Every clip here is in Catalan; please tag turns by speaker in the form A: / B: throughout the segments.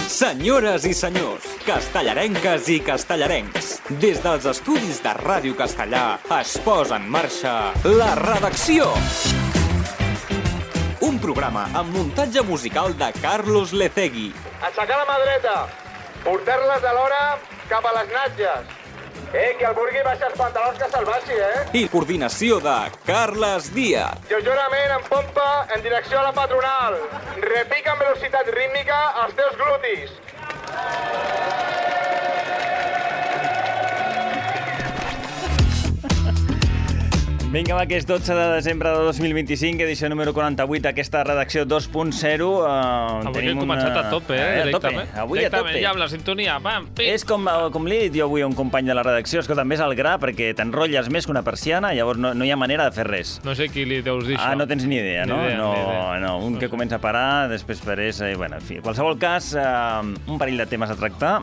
A: Senyores i senyors, castellarenques i castellarencs, des dels estudis de Ràdio Castellà es posa en marxa La Redacció. Un programa amb muntatge musical de Carlos Lecegui.
B: Aixecar la mà dreta, portar-les alhora cap a les natges. Que el vulgui baixar els pantalons que se'l baixi,
A: I coordinació de Carles Díaz.
B: Lleugerament en pompa en direcció a la patronal. Repica amb velocitat rítmica els teus glutis.
C: Vinga, va, que és 12 de desembre de 2025, edició número 48, aquesta redacció 2.0.
D: Avui hem començat a tope, directament.
C: Avui a tope.
D: Ja amb la sintonia, pam, pim.
C: És com li he dit jo avui a un company de la redacció, escolta, més al gra, perquè t'enrotlles més que una persiana, llavors no hi ha manera de fer res.
D: No sé qui li deus dir això.
C: No tens ni idea, no?
D: Ni idea.
C: No, un que comença a parar, després perés... Bueno, en fi, en qualsevol cas, un parell de temes a tractar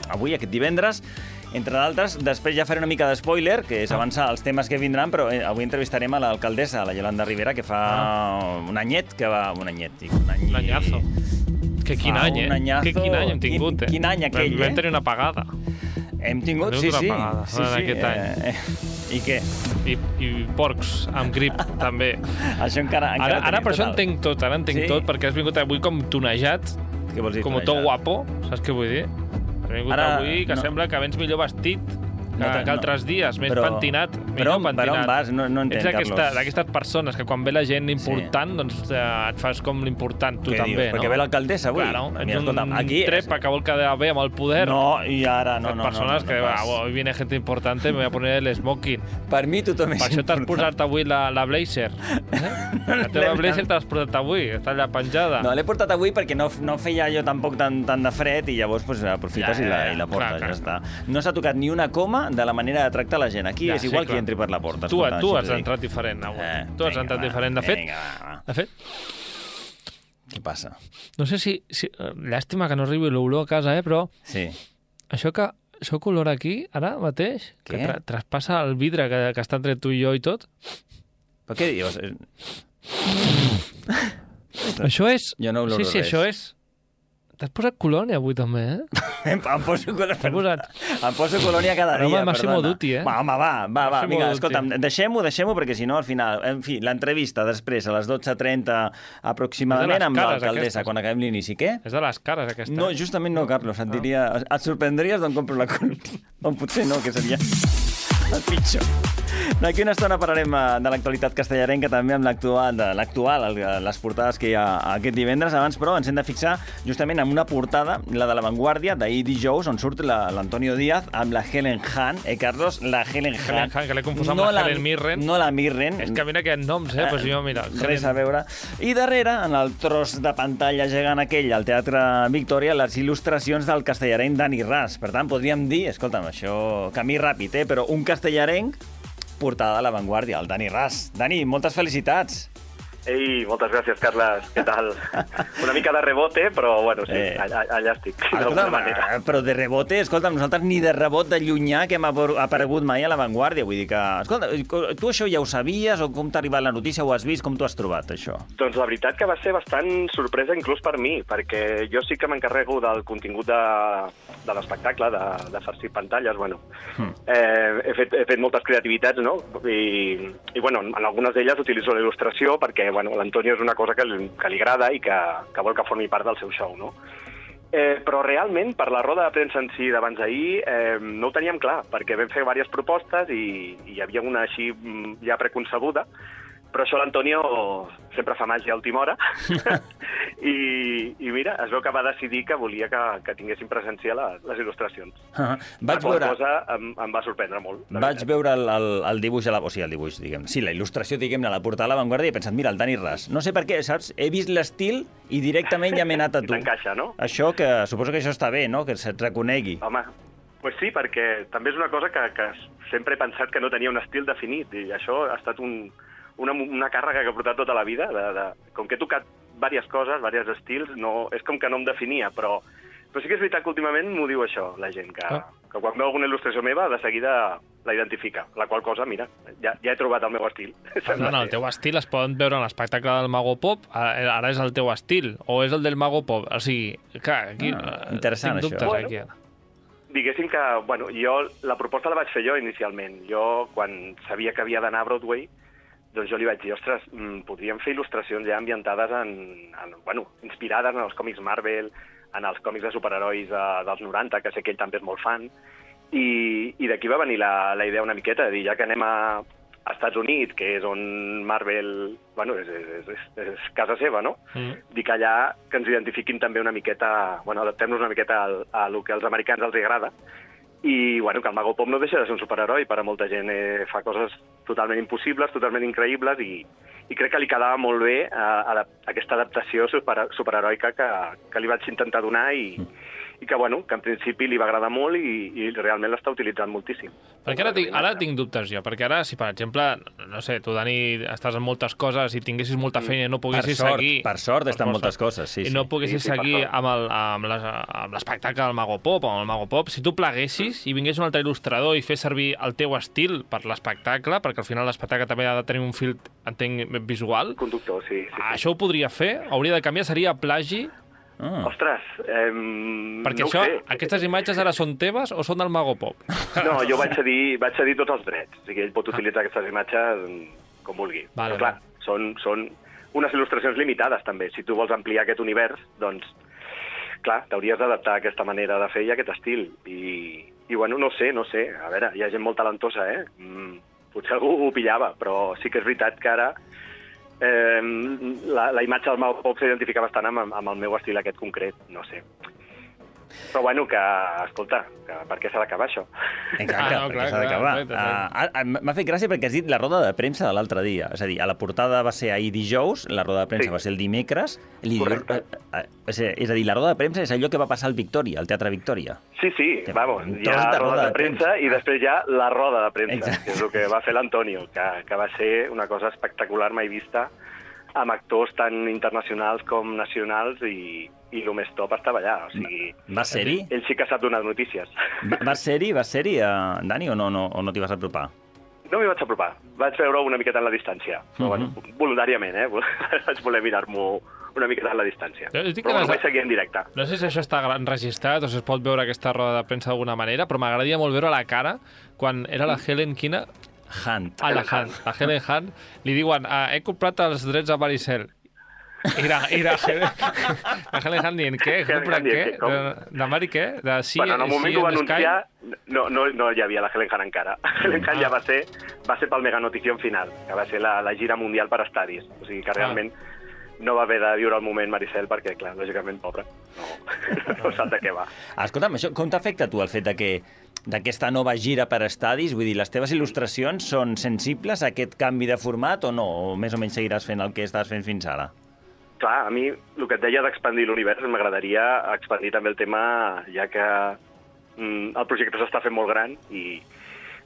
C: avui, aquest divendres. Entre d'altres, després ja faré una mica de spoiler, que és avançar els temes que vindran, però avui entrevistarem a l'alcaldessa, la Yolanda Rivera, que fa un anyet que va... Un
D: anyazo. Que quin any, Que quin any hem tingut,
C: Quin any aquell,
D: Vam tenir una pagada.
C: Hem tingut, sí.
D: Aquest any.
C: I què?
D: I porcs, amb grip, també.
C: Això encara
D: ara per això entenc tot, perquè has vingut avui com tonejat,
C: què vols dir,
D: com tot guapo, saps què vull dir? Has vingut avui que sembla que vens millor vestit que altres dies, més pentinat.
C: Per on vas? No entenc,
D: Carlos.
C: Carlos.
D: D'aquestes persones que quan ve la gent important, doncs et fas com l'important, tu també, no?
C: Perquè ve l'alcaldessa avui.
D: Claro, ets un trepa que vol quedar bé amb el poder.
C: No, i ara no.
D: Persones que, hoy viene gente importante, me voy a poner el smoking.
C: Per mi tothom és important.
D: Per això t'has posat avui la blazer. La teva blazer t'has posat avui, està allà penjada.
C: No, l'he portat avui perquè no feia jo tampoc tant de fred i llavors aprofites i la portes, ja està. No s'ha tocat ni una coma de la manera de tractar la gent. Aquí és igual que entri per la porta.
D: Tu has entrat diferent avui. Tu has entrat diferent. De fet...
C: Què passa?
D: No sé si... Llàstima que no arribi l'olor a casa, però...
C: Sí.
D: Això olor aquí, ara mateix, que traspassa el vidre que està entre tu i jo i tot...
C: Però què dius?
D: Això és...
C: Jo no oloro res.
D: Sí, això és... T'has posat colònia avui també,
C: Em poso colònia cada dia,
D: Massimo Dutti,
C: Va, vinga, escolta'm, deixem-ho perquè si no, al final, en fi, l'entrevista després, a les 12:30 aproximadament, amb l'alcaldessa, quan acabem l'inici. Què?
D: És de les cares, aquesta.
C: No, justament no, Carlos, et sorprendries d'on compro la colònia. On potser no, que seria el pitjor. D'aquí una estona parlarem de l'actualitat castellarenca, també amb l'actual, les portades que hi ha aquest divendres. Abans, però, ens hem de fixar justament en una portada, la de La Vanguardia, d'ahir dijous, on surt l'Antonio Díaz amb la Helen Hahn. Carlos, la Helen Hahn,
D: que l'he confós amb la Helen Mirren.
C: No la Mirren.
D: És que mira aquests noms, pues jo, mira.
C: Res a veure. I darrere, en el tros de pantalla gegant aquell, al Teatre Victòria, les il·lustracions del castellarenc Dani Ras. Per tant, podríem dir, escolta'm, això, camí ràpid, però un castellarenc portada de La Vanguardia, el Dani Ras. Dani, moltes felicitats.
E: Ei, moltes gràcies, Carles. Què tal? Una mica de rebote, però bueno, sí, allà estic.
C: Però de rebote, escolta'm, nosaltres ni de rebot de llunyà que hem aparegut mai a La Vanguardia. Vull dir que... Escolta, tu això ja ho sabies o com t'ha arribat la notícia, ho has vist, com t'ho has trobat, això?
E: Doncs la veritat que va ser bastant sorpresa inclús per mi, perquè jo sí que m'encarrego del contingut de l'espectacle, de farcir pantalles, bueno. He fet moltes creativitats, no? I bueno, en algunes d'elles utilitzo la il·lustració perquè bueno, l'Antonio és una cosa que li agrada i que vol que formi part del seu show, no? Però realment, per la roda de premsa en si d'abans d'ahir, no ho teníem clar, perquè vam fer diverses propostes i hi havia una així ja preconcebuda, però això l'Antonio sempre fa màgia a última hora i mira, es veu que va decidir que volia que tinguessin presència les il·lustracions. La qual cosa em va sorprendre molt.
C: Vaig veure el dibuix, el dibuix, diguem, sí, la il·lustració, diguem-ne, a la portada de La Vanguardia i he pensat, mira, el Dani Ras. No sé per què, saps? He vist l'estil i directament ja m'he anat a tu.
E: T'encaixa, no?
C: Això que, suposo que això està bé, no?, que se't reconegui.
E: Home, pues sí, perquè també és una cosa que sempre he pensat que no tenia un estil definit i això ha estat una càrrega que he portat tota la vida. Com que he tocat diverses coses, diversos estils, és com que no em definia, però sí que és veritat que últimament m'ho diu això, la gent, que quan veu alguna il·lustració meva, de seguida la identifica. La qual cosa, mira, ja he trobat el meu estil.
D: No, el teu estil es poden veure en l'espectacle del Mago Pop, ara és el teu estil, o és el del Mago Pop? O sigui, clar, aquí
C: interessant,
D: tinc dubtes,
C: això.
D: aquí.
E: Diguéssim que, bueno, jo la proposta la vaig fer jo inicialment. Jo, quan sabia que havia d'anar a Broadway, doncs jo li vaig dir, ostres, podríem fer il·lustracions ja ambientades inspirades en els còmics Marvel, en els còmics de superherois dels 90, que sé que ell també és molt fan, i d'aquí va venir la idea una miqueta, de dir, ja que anem a Estats Units, que és on Marvel, bueno, és casa seva, no? Dic allà que ens identifiquin també una miqueta, bueno, adaptem-nos una miqueta a lo que als americans els agrada, i bueno, que el Mago Pop no deixa de ser un superheroi, per a molta gent fa coses totalment impossibles, totalment increïbles, i crec que li quedava molt bé aquesta adaptació superheroica que li vaig intentar donar i que, bueno, que en principi li va agradar molt i realment l'està utilitzant moltíssim.
D: Perquè ara tinc dubtes jo, perquè ara, si per exemple, no sé, tu, Dani, estàs en moltes coses i tinguessis molta feina i no poguessis seguir...
C: Per sort està en moltes coses, sí.
D: I no poguessis seguir amb l'espectacle del Mago Pop o amb el Mago Pop, si tu pleguessis i vingués un altre il·lustrador i fes servir el teu estil per l'espectacle, perquè al final l'espectacle també ha de tenir un fil, entenc, visual...
E: Conductor, sí.
D: Això ho podria fer? Hauria de canviar? Seria plagi?
E: Ostres,
D: perquè
E: no
D: això,
E: ho sé.
D: aquestes imatges ara són teves o són del Mago Pop?
E: No, jo vaig cedir tots els drets. O sigui, ell pot utilitzar aquestes imatges com vulgui.
D: Vale,
E: però clar, són unes il·lustracions limitades també. Si tu vols ampliar aquest univers, doncs, clar, t'hauries d'adaptar a aquesta manera de fer i a aquest estil. I bueno, no sé. A veure, hi ha gent molt talentosa, potser algú ho pillava, però sí que és veritat que ara la imatge del Mago Pop s'identifica bastant amb el meu estil aquest concret, no sé. Però bueno, que, escolta, per què s'ha d'acabar això?
C: Exacte, perquè s'ha d'acabar. M'ha fet gràcia perquè has dit la roda de premsa de l'altre dia. És a dir, a la portada va ser ahir dijous, la roda de premsa va ser el dimecres. És a dir, la roda de premsa és allò que va passar al Victòria, al Teatre Victòria.
E: Sí, vamos, hi ha la roda de premsa i després hi ha la roda de premsa, que és el que va fer l'Antonio, que va ser una cosa espectacular mai vista, amb actors tan internacionals com nacionals i el més top estava allà. O sigui,
C: va ser-hi?
E: Ell sí que sap donar notícies.
C: Va ser-hi, Dani, o no t'hi vas apropar?
E: No m'hi vaig apropar. Vaig veure una miqueta en la distància. Però, bueno, voluntàriament, vaig voler mirar-m'ho una miqueta en la distància. Però no vaig seguir en directe.
D: No sé si això està enregistrat o si es pot veure aquesta roda de premsa d'alguna manera, però m'agradaria molt veure la cara quan era la Helen Quina...
C: Hunt.
D: La Helen Hunt. Li diuen, he comprat els drets a Maricel. I la Helen Hunt dient, què? He comprat què? De Mari què? De sí,
E: bueno, en el moment que ho va anunciar, no hi havia la Helen Hunt encara. Helen Hunt ja va ser pel Mega Notición final, que va ser la gira mundial per estadis. O sigui que realment no va haver de viure el moment Maricel perquè, clar, lògicament, pobra, no sap de què va.
C: Escolta'm, això, com t'afecta tu el fet d'aquesta nova gira per estadis? Vull dir, les teves il·lustracions són sensibles a aquest canvi de format o no? O més o menys seguiràs fent el que estàs fent fins ara?
E: Clar, a mi el que et deia d'expandir l'univers m'agradaria expandir també el tema, ja que el projecte s'està fent molt gran i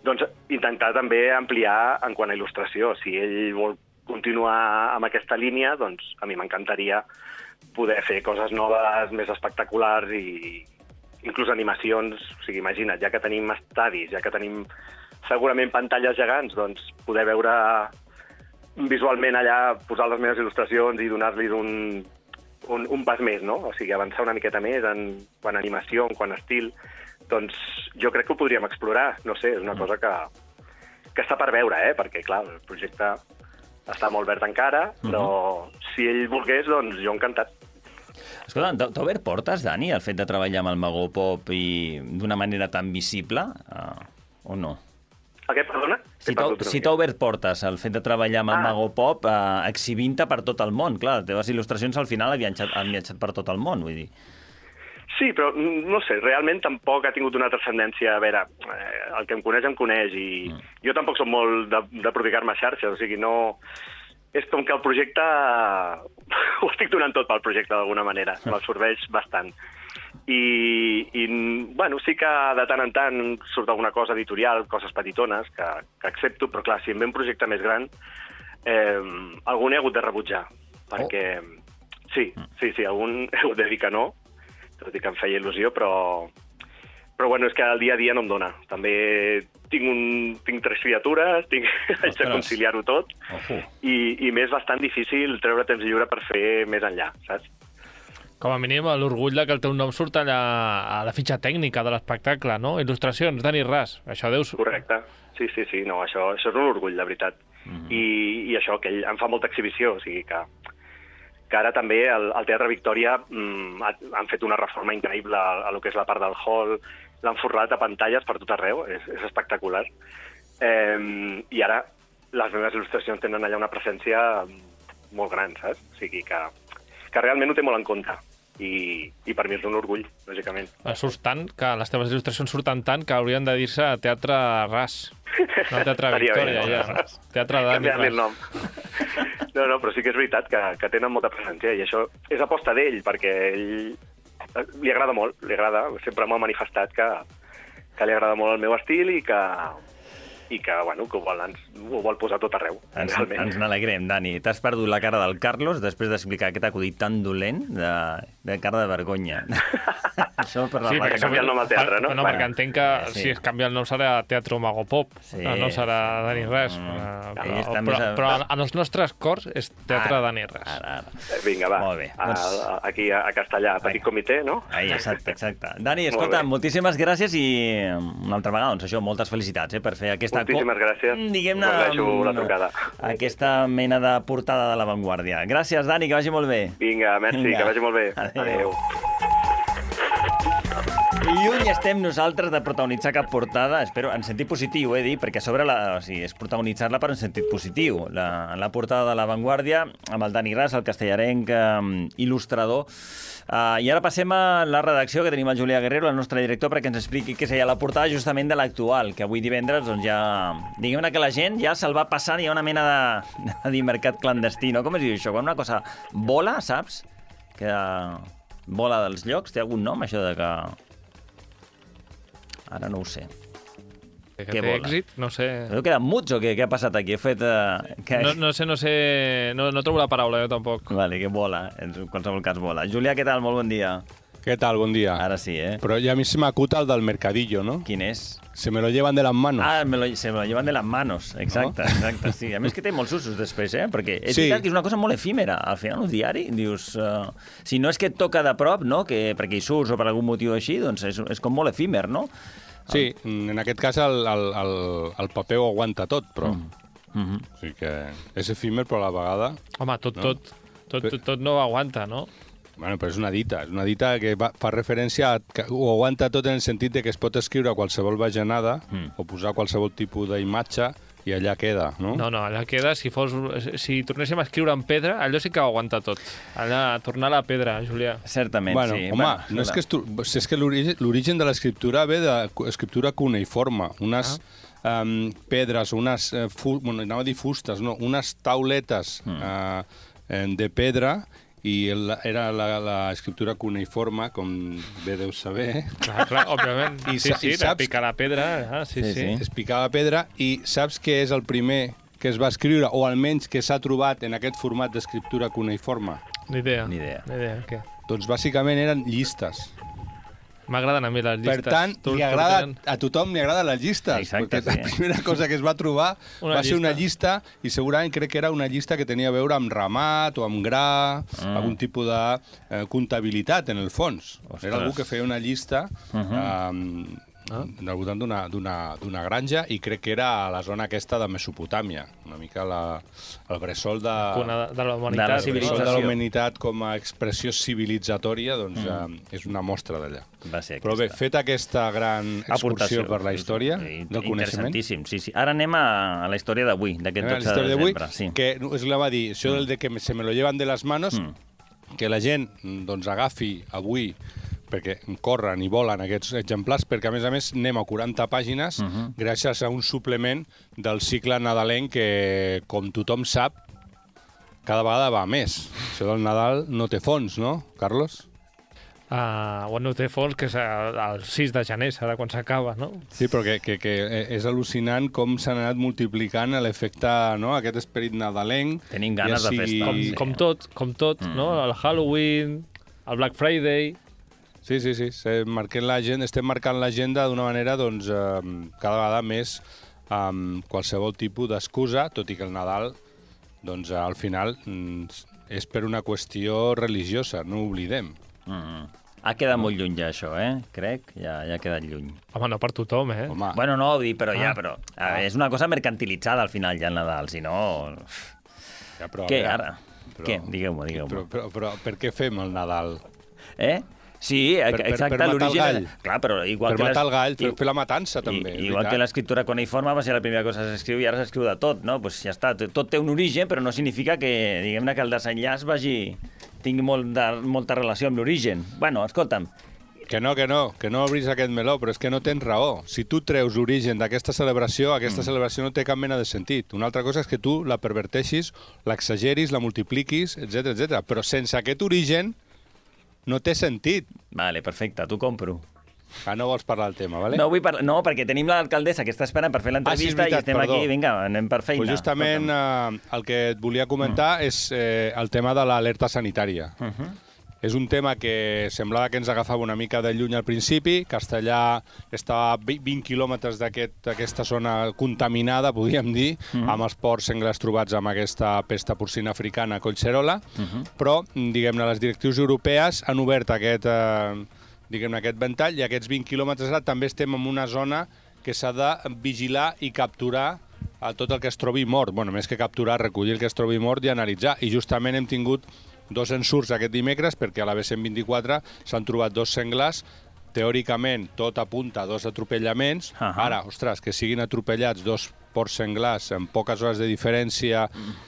E: doncs intentar també ampliar en quant a il·lustració. Si ell vol continuar amb aquesta línia, doncs a mi m'encantaria poder fer coses noves, més espectaculars i inclús animacions. O sigui, imagina't, ja que tenim estadis, ja que tenim segurament pantalles gegants, doncs poder veure visualment allà, posar les meves il·lustracions i donar-li un pas més, no? O sigui, avançar una miqueta més en quant a animació, en quant a estil. Doncs jo crec que ho podríem explorar. No sé, és una cosa que està per veure, perquè, clar, el projecte està molt verd encara, però si ell volgués, doncs jo encantat.
C: Escolta, t'ha obert portes, Dani, el fet de treballar amb el Mago Pop i d'una manera tan visible, o no?
E: Què, perdona?
C: Si t'ha obert portes el fet de treballar amb el Mago Pop exhibint-te per tot el món. Clar, les teves il·lustracions al final han viatjat per tot el món, vull dir.
E: Sí, però no sé, realment tampoc ha tingut una transcendència. A veure, el que em coneix i jo tampoc soc molt de prodigar-me a xarxes, o sigui, no... És com que el projecte... ho estic donant tot pel projecte d'alguna manera, m'absorbeix bastant. I, bueno, sí que de tant en tant surt alguna cosa editorial, coses petitones, que accepto, però clar, si em ve un projecte més gran, algun he hagut de rebutjar, perquè... Sí, algun he hagut de dir que no, tot i que em feia il·lusió, però Però bueno, és que el dia a dia no em dona. També tinc 3 criatures, haig de conciliar-ho tot, i m'és bastant difícil treure temps lliure per fer més enllà, saps?
D: Com a mínim, l'orgull de que el teu nom surt allà a la fitxa tècnica de l'espectacle, no? Il·lustracions, Dani Ras. Això deus...
E: Correcte. Sí, no, això és un orgull, de veritat. I això, que ell em fa molta exhibició, o sigui que ara també al Teatre Victòria han fet una reforma increïble a lo que és la part del hall, l'han forrat a pantalles per tot arreu, és espectacular. I ara les meves il·lustracions tenen allà una presència molt gran, saps? O sigui que realment ho té molt en compte. I per mi és un orgull, lògicament.
D: Surts tant, que les teves il·lustracions surten tant que haurien de dir-se Teatre Ras. No Teatre Victòria, ja. Teatre Dani Ras.
E: El nom. No, però sí que és veritat que tenen molta presència, i això és aposta d'ell, perquè ell li agrada molt, sempre m'ha manifestat que li agrada molt el meu estil i que ho vol posar tot arreu.
C: Ens n'alegrem, Dani. T'has perdut la cara del Carlos després d'explicar aquest acudit tan dolent de cara de vergonya. Això per la
E: sí, perquè canvia el nom al teatre, no?
D: No, perquè entenc que si es canvia el nom serà Teatre Mago Pop, no serà Dani Ras. Però en els nostres cors és Teatre Dani Ras.
E: Vinga, va. Aquí a Castellà, petit comitè, no?
C: Exacte. Dani, escolta, moltíssimes gràcies i una altra vegada, doncs això, moltes felicitats per fer aquesta...
E: Moltíssimes gràcies.
C: Diguem-ne...
E: la trucada.
C: Aquesta mena de portada de l'avantguàrdia. Gràcies, Dani, que vagi molt bé.
E: Vinga, merci, que vagi molt bé. Adéu.
C: Lluny estem nosaltres de protagonitzar cap portada, espero, en sentit positiu, dit, perquè a sobre és protagonitzar-la per un sentit positiu. La portada de l'avantguàrdia, amb el Dani Ras, el castellarenc il·lustrador. I ara passem a la redacció, que tenim el Julià Guerrero, el nostre director, perquè ens expliqui què seria la portada justament de l'actual, que avui divendres doncs ja... Diguem-ne que la gent ja se'l va passant, hi ha una mena de mercat clandestí, no? Com es diu això? Quan una cosa vola, saps? Que vola dels llocs, té algun nom, això de que... Ara no ho sé.
D: Que té èxit? No sé.
C: Heu quedat muts o què? Què ha passat aquí? He fet...
D: No sé. No trobo la paraula, jo tampoc.
C: Vale, que vola. En qualsevol cas vola. Julià, què tal? Molt bon dia.
F: ¿Qué tal? Buen día.
C: Ara sí,
F: Pero ya a mí se me acuta el del mercadillo, ¿no?
C: Quin és?
F: Se me lo llevan de las manos.
C: Se me lo llevan de las manos. Exacte, no? Exacte, sí. A més que té molts usos després, perquè és veritat que és una cosa molt efímera. Al final, un diari, dius... si no és que et toca de prop, no? Perquè hi surts o per algun motiu així, doncs és com molt efímer, no?
F: Sí, en aquest cas el paper ho aguanta tot, però... O sigui que és efímer, però a la vegada...
D: Home, tot no ho aguanta, no?
F: Bueno, però és una dita que fa referència a que ho aguanta tot en el sentit de que es pot escriure qualsevol bajanada o posar qualsevol tipus d'imatge i allà queda, no? No,
D: allà queda. Si tornéssim a escriure en pedra, allò sí que ho aguanta tot. Allà, tornar a la pedra, Julià.
C: Certament,
F: bueno,
C: sí.
F: Home, no és que l'origen de l'escriptura ve d'escriptura cuneiforme. Unes pedres, unes... anava a dir fustes, no? Unes tauletes de pedra i era l'escriptura cuneiforme, com bé deus saber.
D: Clar, òbviament. Sí, de picar la pedra. Sí.
F: És picar la pedra, i saps què és el primer que es va escriure, o almenys que s'ha trobat en aquest format d'escriptura cuneiforme?
D: Ni idea. Què?
F: Doncs bàsicament eren llistes.
D: M'agraden a mi les llistes.
F: Per tant, a tothom li agraden les llistes.
C: Exacte,
F: perquè la primera cosa que es va trobar va ser una llista, i segurament crec que era una llista que tenia a veure amb ramat o amb gra, algun tipus de comptabilitat, en el fons. Era algú que feia una llista al voltant d'una granja, i crec que era a la zona aquesta de Mesopotàmia, una mica el bressol de
D: la humanitat.
F: El bressol de la humanitat com a expressió civilitzatòria, doncs és una mostra d'allà. Però bé, feta aquesta gran excursió per la història del coneixement...
C: Interessantíssim, sí. Ara anem a la història d'avui, d'aquest 12 de desembre.
F: Que és la va dir, això del de que se me lo llevan de les manos, que la gent doncs agafi avui, perquè corren i volen aquests exemplars, perquè a més anem a 40 pàgines gràcies a un suplement del cicle nadalenc que, com tothom sap, cada vegada va més. Això del Nadal no té fons, no, Carlos?
D: No té fons, que és el 6 de gener, serà quan s'acaba, no?
F: Sí, però que és al·lucinant com s'han anat multiplicant l'efecte, no?, aquest esperit nadalenc.
C: Tenim ganes de festa.
D: Com tot, no? El Halloween, el Black Friday...
F: Sí. Estem marcant l'agenda d'una manera doncs, cada vegada més amb qualsevol tipus d'excusa, tot i que el Nadal doncs, al final és per una qüestió religiosa, no ho oblidem.
C: Ha quedat molt lluny ja, això, crec. Ja ha quedat lluny.
D: Home, no per tothom,
F: Home.
C: Bueno, no, però és una cosa mercantilitzada al final ja el Nadal, si no...
F: Ja, però,
C: Què, ara? Què? Digueu-m'ho.
F: Però per què fem el Nadal?
C: Sí, exacte,
F: per matar
C: l'origen...
F: el gall.
C: Clar, però igual
F: per matar el gall, fer la matança, també.
C: Igual que l'escriptura cuneïforme va ser la primera cosa que s'escriu i ara s'escriu de tot, no? Pues ja està, tot té un origen, però no significa que, diguem-ne, que el desenllaç tingui molta relació amb l'origen. Bueno, escolta'm.
F: Que no obris aquest meló, però és que no tens raó. Si tu treus l'origen d'aquesta celebració, aquesta celebració no té cap mena de sentit. Una altra cosa és que tu la perverteixis, l'exageris, la multipliquis, etc. Però sense aquest origen no té sentit.
C: Vale, perfecte, t'ho compro.
F: No vols parlar del tema, vale?
C: No vull parlar, no, perquè tenim l'alcaldessa que està esperant per fer l'entrevista i estem aquí, vinga, anem per feina.
F: Pues justament el que et volia comentar és el tema de l'alerta sanitària. És un tema que semblava que ens agafava una mica de lluny al principi. Castellà estava a 20 quilòmetres d'aquesta zona contaminada, podríem dir, amb els porcs senglars trobats amb aquesta pesta porcina africana a Collserola, però, diguem-ne, les directrius europees han obert aquest ventall i aquests 20 quilòmetres ara també estem en una zona que s'ha de vigilar i capturar tot el que es trobi mort. Bueno, més que capturar, recollir el que es trobi mort i analitzar. I justament hem tingut 2 ensurts aquest dimecres perquè a la B124 s'han trobat 2 senglars. Teòricament, tot apunta a 2 atropellaments. Ara, ostres, que siguin atropellats 2 porcs senglars amb poques hores de diferència.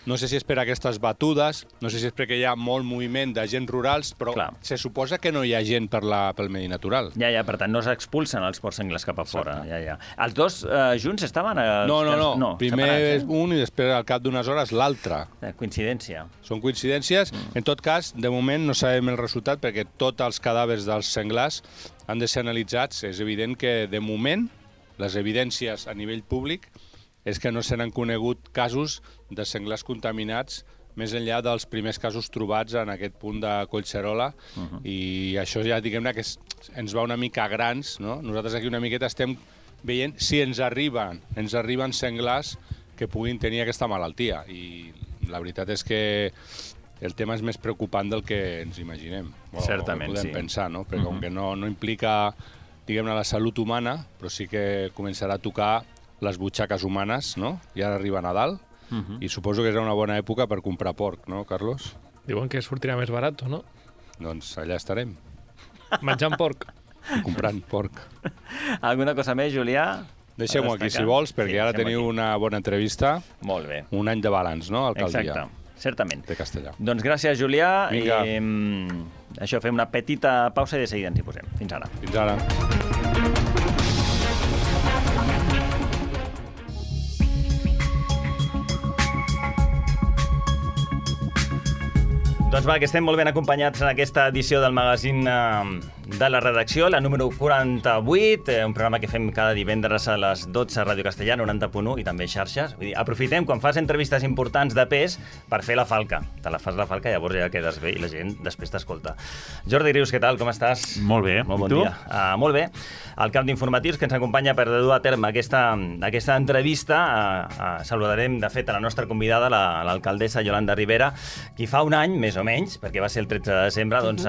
F: No sé si és per aquestes batudes, no sé si és perquè hi ha molt moviment d'agents rurals, però se suposa que no hi ha gent pel medi natural.
C: Ja, per tant, no s'expulsen els porcs senglars cap a fora. Ja. Els dos junts estaven...
F: No. Primer un i després, al cap d'unes hores, l'altre.
C: Coincidència.
F: Són coincidències. En tot cas, de moment no sabem el resultat perquè tots els cadàvers dels senglars han de ser analitzats. És evident que, de moment, les evidències a nivell públic és que no se n'han conegut casos de senglars contaminats més enllà dels primers casos trobats en aquest punt de Collserola i això ja, diguem-ne, que ens va una mica grans, no? Nosaltres aquí una miqueta estem veient si ens arriben senglars que puguin tenir aquesta malaltia i la veritat és que el tema és més preocupant del que ens imaginem.
C: Certament,
F: podem pensar, no? Perquè com que no implica, diguem-ne, la salut humana, però sí que començarà a tocar les butxaques humanes, no? I ara arriba Nadal, i suposo que és una bona època per comprar porc, no, Carlos?
D: Diuen que sortirà més barat, no?
F: Doncs allà estarem.
D: Menjant porc.
F: Comprant porc.
C: Alguna cosa més, Julià?
F: Deixem-ho aquí, si vols, perquè ara teniu una bona entrevista.
C: Molt bé.
F: Un any de balanç, no, alcaldia?
C: Exacte, certament.
F: De Castellà.
C: Doncs gràcies, Julià.
F: Vinga.
C: I això, fem una petita pausa i de seguida ens hi posem. Fins ara.
F: Fins ara.
C: Doncs va, que estem molt ben acompanyats en aquesta edició del magazín de la redacció, la número 48, un programa que fem cada divendres a les 12 a Ràdio Castellà, 90.1 i també xarxes. Vull dir, aprofitem quan fas entrevistes importants de pes per fer la falca. Te la fas la falca, llavors ja quedes bé i la gent després t'escolta. Jordi Rius, què tal? Com estàs?
G: Molt bé.
C: Molt bon dia. Molt bé. El camp d'informatius que ens acompanya per dur a terme aquesta entrevista. Saludarem, de fet, a la nostra convidada, l'alcaldessa Yolanda Rivera, qui fa un any, més o menys, perquè va ser el 13 de desembre, doncs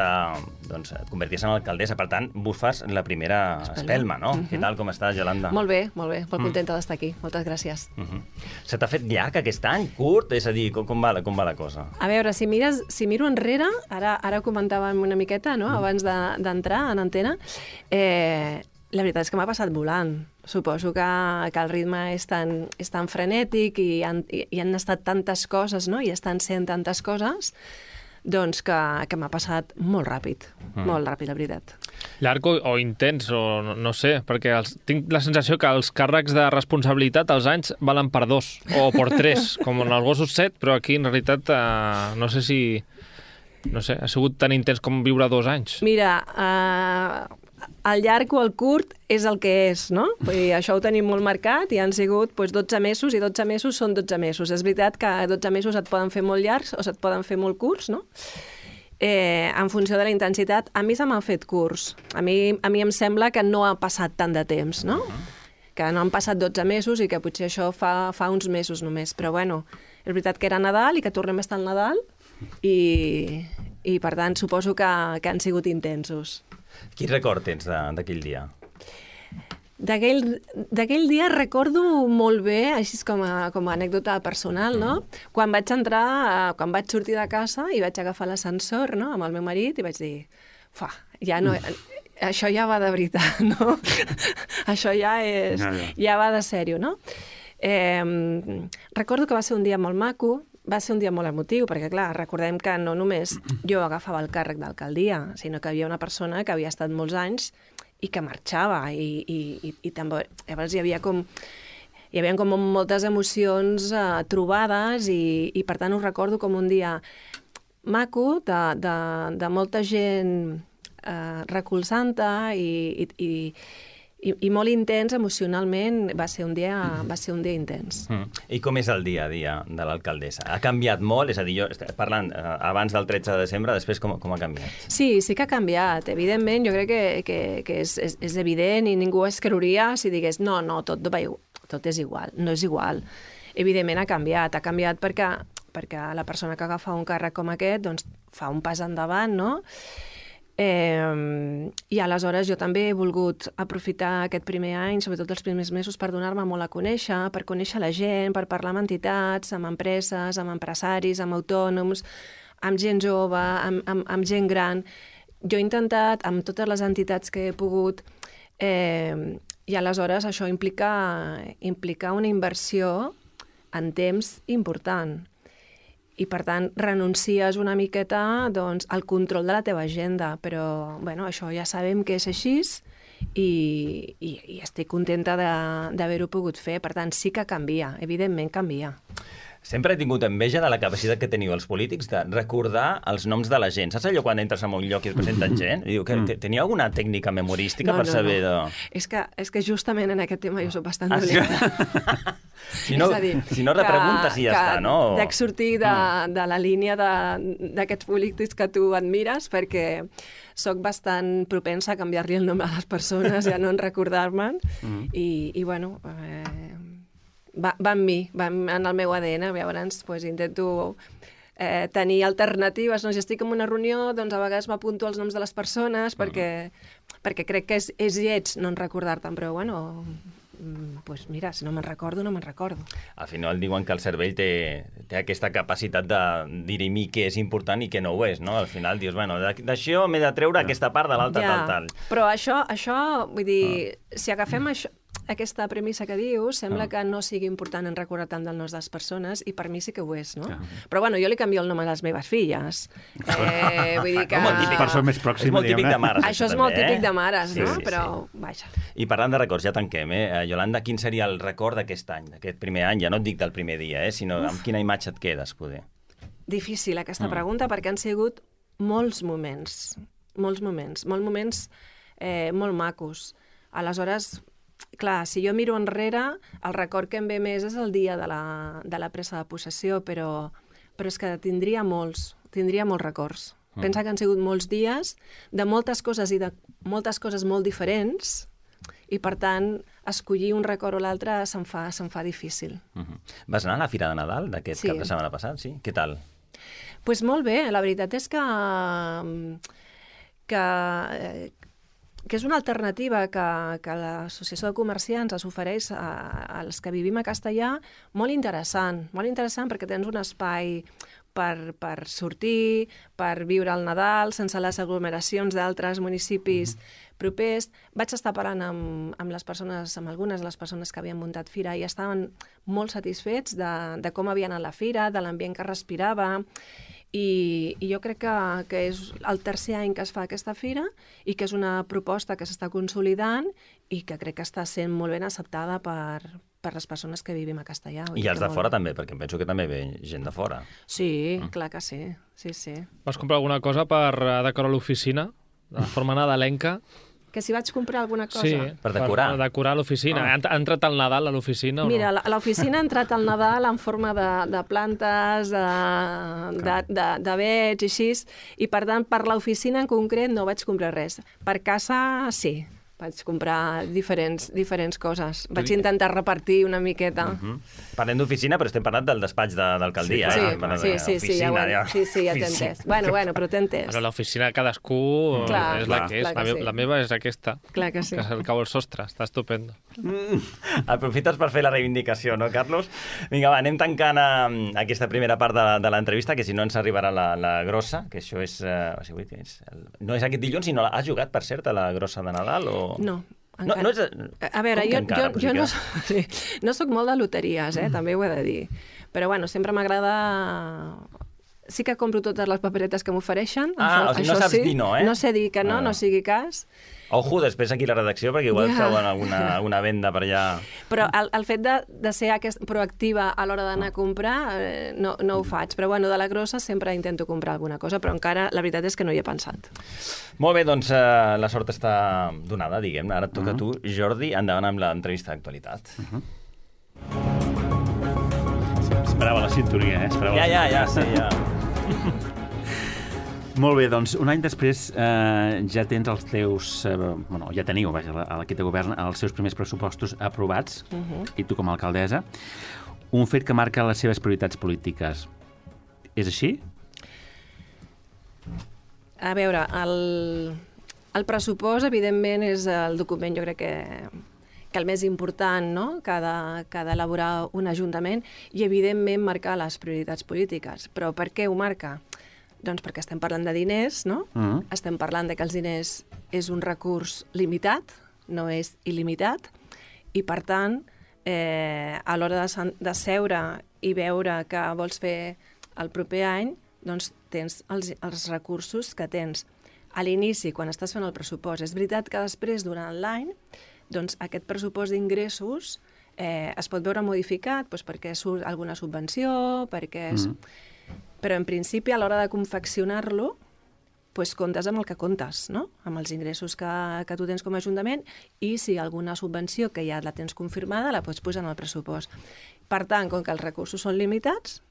C: et converties en alcaldessa. Per tant, bufes la primera espelma, no? Què tal, com estàs, Yolanda?
H: Molt bé. Molt contenta d'estar aquí. Moltes gràcies.
C: Se t'ha fet llarg aquest any? Curt? És a dir, com va la cosa?
H: A veure, si miro enrere, ara comentàvem una miqueta, no?, abans d'entrar en antena, la veritat és que m'ha passat volant. Suposo que el ritme és tan frenètic i han estat tantes coses, no?, i estan sent tantes coses, doncs que m'ha passat molt ràpid, la veritat.
D: Llarg o intens, o no sé, perquè tinc la sensació que els càrrecs de responsabilitat als anys valen per 2 o per 3, com en els gossos 7, però aquí en realitat no sé si... No sé, ha sigut tan intens com viure 2 anys.
H: Mira, el llarg o el curt és el que és, no? Vull dir, això ho tenim molt marcat i han sigut 12 mesos i 12 mesos són 12 mesos. És veritat que 12 mesos et poden fer molt llargs o se't poden fer molt curts, no? en funció de la intensitat. A mi se m'ha fet curs. A mi em sembla que no ha passat tant de temps, no? Que no han passat 12 mesos i que potser això fa uns mesos només. Però bueno, és veritat que era Nadal i que tornem a estar al Nadal i per tant suposo que han sigut intensos.
C: Quin record tens d'aquell dia?
H: D'aquell dia recordo molt bé, així com a anècdota personal, no? Quan vaig sortir de casa i vaig agafar l'ascensor, no?, amb el meu marit i vaig dir, ja no... Això ja va de veritat, no? Això ja va de sèrio, no? Recordo que va ser un dia molt maco, va ser un dia molt emotiu, perquè, clar, recordem que no només jo agafava el càrrec d'alcaldia, sinó que hi havia una persona que havia estat molts anys i que marxava, i també, llavors hi havia com moltes emocions trobades, i per tant ho recordo com un dia maco, de molta gent recolzant-te i molt intens emocionalment. Va ser un dia intens.
C: I com és el dia a dia de l'alcaldessa? Ha canviat molt? És a dir, jo parlant abans del 13 de desembre, després com ha canviat? Sí
H: que ha canviat. Evidentment, jo crec que és evident i ningú es creuria si digués no, tot és igual. No és igual. Evidentment ha canviat perquè la persona que agafa un càrrec com aquest doncs, fa un pas endavant, no? I aleshores jo també he volgut aprofitar aquest primer any, sobretot els primers mesos, per donar-me molt a conèixer, per conèixer la gent, per parlar amb entitats, amb empreses, amb empresaris, amb autònoms, amb gent jove, amb gent gran. Jo he intentat, amb totes les entitats que he pogut, i aleshores això implica una inversió en temps important. I, per tant, renuncies una miqueta al control de la teva agenda. Però, bueno, això ja sabem que és així i estic contenta d'haver-ho pogut fer. Per tant, sí que canvia, evidentment canvia.
C: Sempre he tingut enveja de la capacitat que teniu els polítics de recordar els noms de la gent. Saps allò quan entres en un lloc i es presenten gent? I diu que tenia alguna tècnica memorística per saber de...
H: És que justament en aquest tema jo soc bastant dolenta.
C: Si no repreguntes i ja està, no?
H: Dec sortir de la línia d'aquests polítics que tu admires, perquè soc bastant propensa a canviar-li el nom a les persones i a no recordar-me'n. I bueno... Va en mi, va en el meu ADN, llavors intento tenir alternatives. Si estic en una reunió, doncs a vegades m'apunto els noms de les persones perquè crec que és lleig no recordar-te'n, però bueno, mira, si no me'n recordo, no me'n recordo.
C: Al final diuen que el cervell té aquesta capacitat de dirimir què és important i què no ho és, no? Al final dius, bueno, d'això m'he de treure aquesta part de l'altra, tal.
H: Però això, vull dir, si agafem això, aquesta premissa que dius, sembla que no sigui important en recordar tant del nom de les persones, i per mi sí que ho és, no? Però bueno, jo li canvio el nom a les meves filles. Vull dir que...
G: Persona més pròxima,
C: és molt típic de mares.
H: Això és molt típic de mares, no? Però, vaja.
C: I parlant de records, ja tanquem, Yolanda, quin seria el record d'aquest any, d'aquest primer any? Ja no et dic del primer dia, sinó amb quina imatge et quedes, poder?
H: Difícil aquesta pregunta, perquè han sigut molts moments molt macos. Aleshores, clar, si jo miro enrere, el record que em ve més és el dia de la presa de possessió, però és que tindria molts records. Pensa que han sigut molts dies de moltes coses i de moltes coses molt diferents, i per tant, escollir un record o l'altre se'm fa difícil.
C: Vas anar a la Fira de Nadal d'aquest cap de setmana passat, sí? Què tal?
H: Doncs molt bé, la veritat és que és una alternativa que l'Associació de Comerciants es ofereix als que vivim a Castellà molt interessant perquè tens un espai per sortir, per viure el Nadal sense les aglomeracions d'altres municipis propers. Vaig estar parlant amb algunes de les persones que havien muntat fira i estaven molt satisfets de com havia anat la fira, de l'ambient que respirava. I jo crec que és el tercer any que es fa aquesta fira i que és una proposta que s'està consolidant i que crec que està sent molt ben acceptada per les persones que vivim a Castellà.
C: I els de fora també, perquè em penso que també ve gent de fora.
H: Sí, clar que sí. Sí.
D: Vas comprar alguna cosa per decorar l'oficina, de forma nadalenca?
H: Que si vaig comprar alguna cosa...
D: Sí,
C: Per decorar.
D: Per decorar l'oficina. Ha entrat el Nadal a l'oficina o no?
H: Mira, a l'oficina ha entrat el Nadal en forma de plantes, d'avets i així, i per tant, per l'oficina en concret no vaig comprar res. Per casa, sí. Vaig comprar diferents coses. Vaig intentar repartir una miqueta.
C: Parlem d'oficina, però estem parlant del despatx d'alcaldia.
H: Sí,
C: Oficina,
H: ja t'he entès. Bueno, però t'he entès.
D: Bueno, l'oficina de cadascú és la que és. La meva és aquesta.
H: Clar que sí.
D: Que és el cau al sostre. Està estupendo.
C: Aprofites per fer la reivindicació, no, Carlos? Vinga, va, anem tancant aquesta primera part de l'entrevista, que si no ens arribarà la grossa, que això és... no és aquest dilluns, sinó has jugat, per cert, a la grossa de Nadal o...
H: No,
C: encara. No és...
H: A veure, jo no soc molt de loteries, també ho he de dir. Però, bueno, sempre m'agrada... Sí que compro totes les paperetes que m'ofereixen.
C: O sigui, no saps dir no, eh?
H: No sé dir que no sigui cas.
C: Ojo, després aquí a la redacció, perquè igual treuen alguna venda per allà...
H: Però el fet de ser proactiva a l'hora d'anar a comprar no ho faig. Però bueno, de la grossa sempre intento comprar alguna cosa, però encara la veritat és que no hi he pensat.
C: Molt bé, doncs la sort està donada, diguem-ne. Ara et toca a tu, Jordi, endavant amb l'entrevista d'actualitat.
G: Esperava la sintonia,
C: Ja, sí, ja.
G: Molt bé, doncs un any després ja tens els teus... ja teniu, vaja, l'equip de govern, els seus primers pressupostos aprovats, i tu com a alcaldessa. Un fet que marca les seves prioritats polítiques. És així?
H: A veure, el pressupost, evidentment, és el document, jo crec que el més important, no?, que ha d'elaborar un ajuntament, i evidentment marcar les prioritats polítiques. Però per què ho marca? Doncs perquè estem parlant de diners, no? Estem parlant de que els diners és un recurs limitat, no és il·limitat, i per tant, a l'hora de seure i veure què vols fer el proper any, doncs tens els recursos que tens a l'inici, quan estàs fent el pressupost. És veritat que després, durant l'any, doncs aquest pressupost d'ingressos es pot veure modificat perquè surt alguna subvenció, perquè és... Però, en principi, a l'hora de confeccionar-lo, comptes amb el que comptes, no?, amb els ingressos que tu tens com a Ajuntament, i si alguna subvenció que ja la tens confirmada la pots posar en el pressupost. Per tant, com que els recursos són limitats,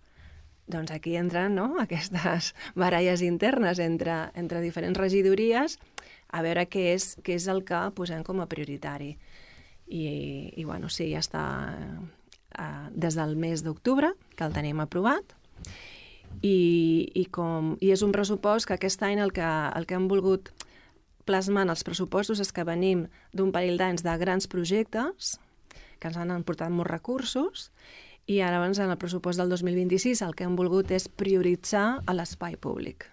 H: doncs aquí entren aquestes baralles internes entre diferents regidories a veure què és el que posem com a prioritari. I bueno, sí, ja està des del mes d'octubre, que el tenim aprovat, i és un pressupost que aquest any el que hem volgut plasmar en els pressupostos és que venim d'un parell d'anys de grans projectes que ens han portat molts recursos, i ara abans en el pressupost del 2026 el que hem volgut és prioritzar l'espai públic.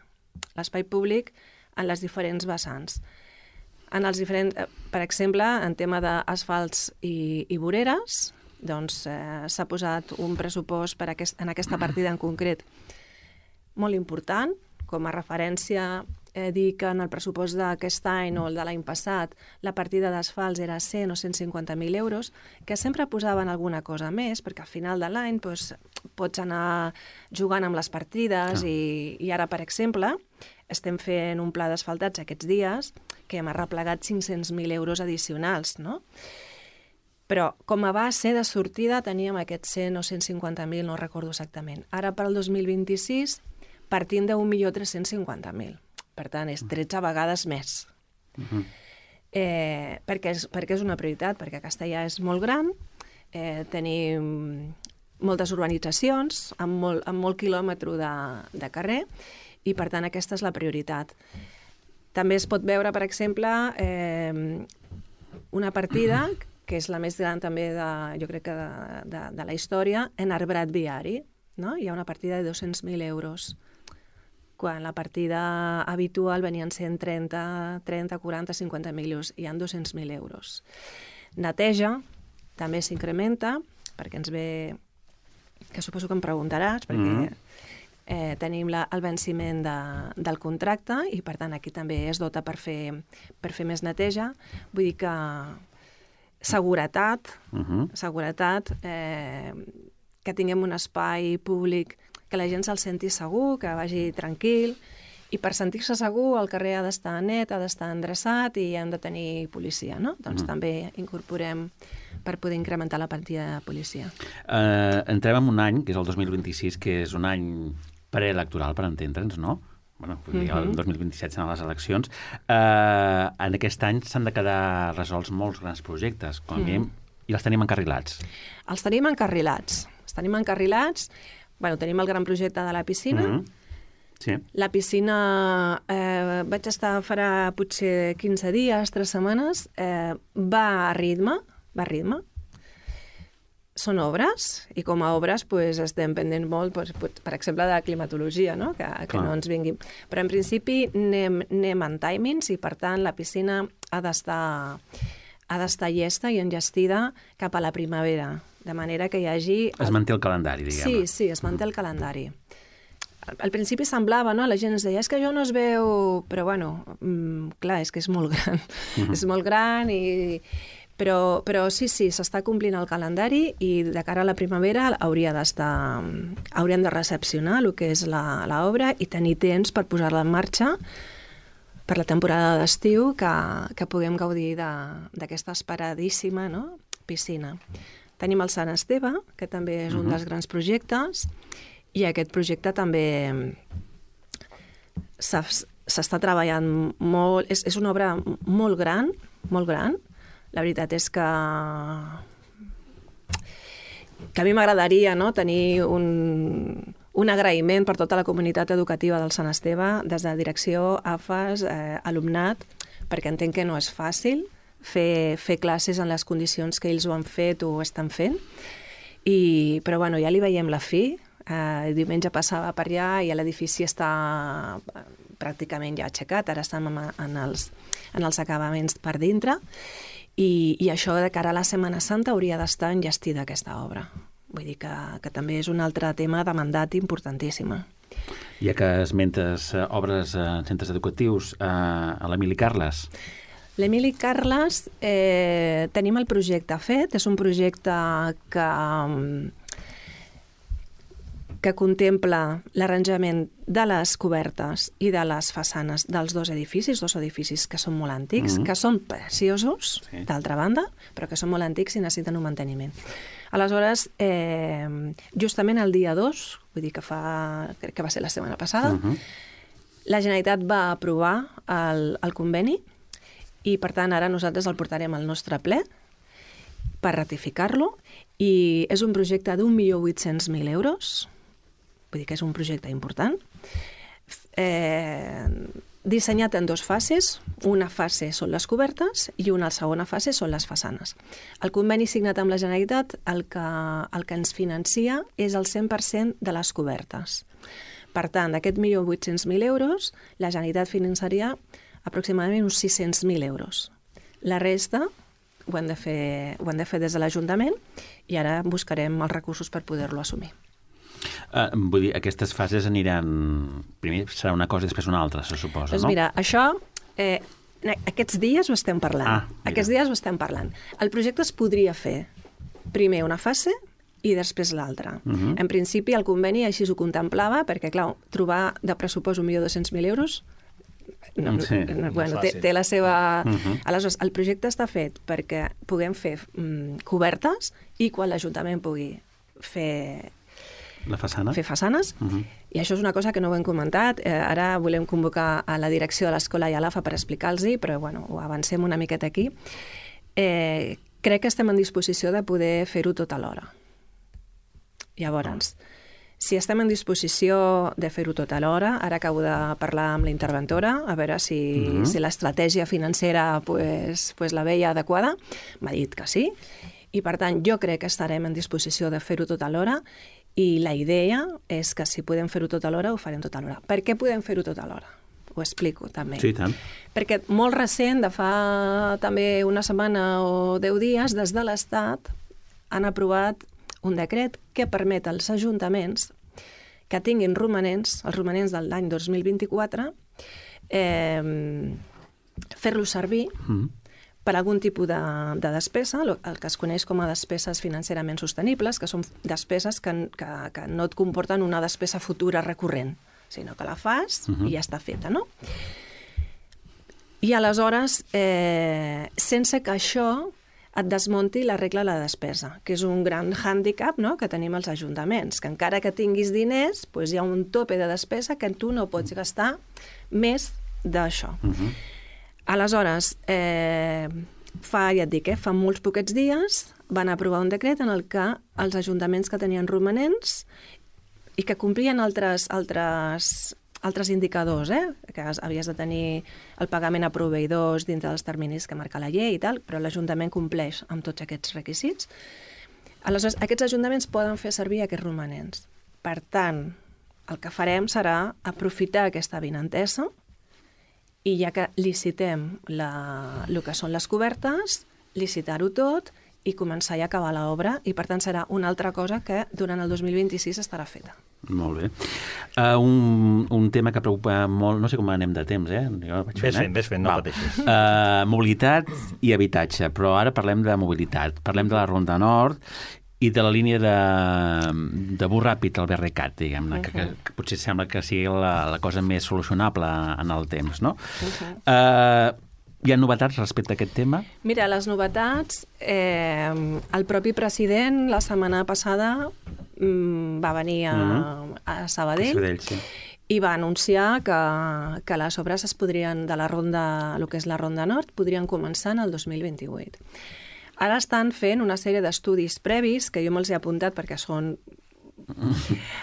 H: L'espai públic en les diferents vessants. Per exemple, en tema d'asfalts i voreres, doncs s'ha posat un pressupost en aquesta partida en concret molt important. Com a referència, dir que en el pressupost d'aquest any o el de l'any passat la partida d'asfalts era 100 o 150.000 euros, que sempre posaven alguna cosa més, perquè al final de l'any pots anar jugant amb les partides, i ara, per exemple, estem fent un pla d'asfaltats aquests dies que hem arreplegat 500.000 euros addicionals, no? Però com a base de sortida teníem aquests 100 o 150.000, no recordo exactament. Ara, per al 2026, partim de 1.350.000. Per tant, és 13 vegades més. Perquè és una prioritat, perquè Castellà és molt gran, tenim moltes urbanitzacions, amb molt quilòmetre de carrer, i per tant aquesta és la prioritat. També es pot veure, per exemple, una partida que és la més gran també, jo crec que de la història, en arbrat viari. Hi ha una partida de 200.000 euros, quan la partida habitual venien sent 30, 40, 50.000 euros, hi ha 200.000 euros. Neteja també s'incrementa, perquè ens ve, que suposo que em preguntaràs, perquè tenim el venciment del contracte, i per tant aquí també es dota per fer més neteja. Vull dir que seguretat, que tinguem un espai públic que la gent se'l senti segur, que vagi tranquil, I per sentir-se segur, el carrer ha d'estar net, ha d'estar endreçat i hem de tenir policia, no? Doncs també incorporem per poder incrementar la partida de policia.
G: Entrem en un any, que és el 2026, que és un any preelectoral, per entendre'ns, no? Bueno, el 2027 seran les eleccions. En aquest any s'han de quedar resolts molts grans projectes, com a mínim, i els tenim encarrilats.
H: Els tenim encarrilats. Bueno, tenim el gran projecte de la piscina.
G: Sí.
H: La piscina vaig estar farà potser 15 dies, 3 setmanes. Va a ritme. Són obres, i com a obres estem pendents molt, per exemple, de climatologia, no? Que no ens vinguin. Però en principi anem en timings i, per tant, la piscina ha d'estar llesta i enllestida cap a la primavera, de manera que hi hagi...
G: Es manté el calendari, diguem.
H: Sí, es manté el calendari. Al principi semblava, no? La gent ens deia, és que jo no es veu... Però, bueno, clar, és que és molt gran. És molt gran i... Però sí, s'està complint el calendari i de cara a la primavera haurem de recepcionar el que és l'obra i tenir temps per posar-la en marxa per la temporada d'estiu que puguem gaudir d'aquesta esperadíssima, no? Piscina. Tenim el Sant Esteve, que també és un dels grans projectes, i aquest projecte també s'està treballant molt... És una obra molt gran, molt gran. La veritat és que a mi m'agradaria, no?, tenir un agraïment per tota la comunitat educativa del Sant Esteve, des de direcció, AFAS, alumnat, perquè entenc que no és fàcil fer classes en les condicions que ells ho han fet o ho estan fent. Però bueno, ja li veiem la fi. Diumenge passava per allà i l'edifici està pràcticament ja aixecat, ara estem en els acabaments per dintre. I això de cara a la Setmana Santa hauria d'estar enllestida aquesta obra. Vull dir que també és un altre tema de mandat importantíssima.
G: Ja que esmentes obres en centres educatius, a l'Emili Carles.
H: L'Emili Carles, tenim el projecte fet, és un projecte que contempla l'arranjament de les cobertes i de les façanes dels dos edificis que són molt antics, que són preciosos, d'altra banda, però que són molt antics i necessiten un manteniment. Aleshores, justament el dia 2, vull dir que crec que va ser la setmana passada, la Generalitat va aprovar el conveni i, per tant, ara nosaltres el portarem al nostre ple per ratificar-lo i és un projecte d'1.800.000 euros. Vull dir que és un projecte important, dissenyat en 2 fases. Una fase són les cobertes i una segona fase són les façanes. El conveni signat amb la Generalitat el que ens financia és el 100% de les cobertes. Per tant, d'aquests 1.800.000 euros, la Generalitat finançaria aproximadament uns 600.000 euros. La resta ho hem de fer des de l'Ajuntament i ara buscarem els recursos per poder-lo assumir.
G: Vull dir, aquestes fases aniran... Primer serà una cosa i després una altra, se suposa, no?
H: Doncs mira, això... Aquests dies ho estem parlant. El projecte es podria fer primer una fase i després l'altra. En principi, el conveni així ho contemplava, perquè, clar, trobar de pressupost 1.200.000 euros... té la seva... Aleshores, el projecte està fet perquè puguem fer cobertes i quan l'Ajuntament pugui fer façanes, i això és una cosa que no ho hem comentat. Ara volem convocar a la direcció de l'escola i a l'AFA per explicar-los-hi, però bueno, ho avancem una miqueta aquí. Crec que estem en disposició de poder fer-ho tot alhora. Llavors, si estem en disposició de fer-ho tot alhora, ara acabo de parlar amb la interventora, a veure si l'estratègia financera la veia adequada. M'ha dit que sí, i per tant jo crec que estarem en disposició de fer-ho tot alhora. I la idea és que si podem fer-ho tot alhora, ho farem tot alhora. Per què podem fer-ho tot alhora? Ho explico, també.
G: Sí, tant.
H: Perquè molt recent, de fa també una setmana o 10 dies, des de l'Estat han aprovat un decret que permet als ajuntaments que tinguin romanents, els romanents de l'any 2024, fer-los servir per algun tipus de despesa, el que es coneix com a despeses financerament sostenibles, que són despeses que no et comporten una despesa futura recurrent, sinó que la fas i ja està feta, no? I aleshores, sense que això et desmunti la regla de la despesa, que és un gran hàndicap, no?, que tenim els ajuntaments, que encara que tinguis diners, doncs hi ha un tope de despesa que tu no pots gastar més d'això. Aleshores, ja et dic, fa molts poquets dies van aprovar un decret en el que els ajuntaments que tenien romanents i que complien altres indicadors, que havies de tenir el pagament a proveïdors dintre dels terminis que marca la llei i tal, però l'Ajuntament compleix amb tots aquests requisits. Aleshores, aquests ajuntaments poden fer servir aquests romanents. Per tant, el que farem serà aprofitar aquesta avinentesa i ja que licitem el que són les cobertes, licitar-ho tot i començar a acabar l'obra, i per tant serà una altra cosa que durant el 2026 estarà feta.
G: Molt bé. Un tema que preocupa molt, no sé com anem de temps,
C: Ves fent, no pateixis.
G: Mobilitat i habitatge, però ara parlem de mobilitat. Parlem de la Ronda Nord i de la línia de bus ràpid, el BRCAT, diguem-ne, que potser sembla que sigui la cosa més solucionable en el temps, no? Hi ha novetats respecte a aquest tema?
H: Mira, les novetats, el propi president la setmana passada va venir a Sabadell, sí, i va anunciar que les obres de la ronda, el que és la Ronda Nord, podrien començar en el 2028. Ara estan fent una sèrie d'estudis previs, que jo me'ls he apuntat perquè són...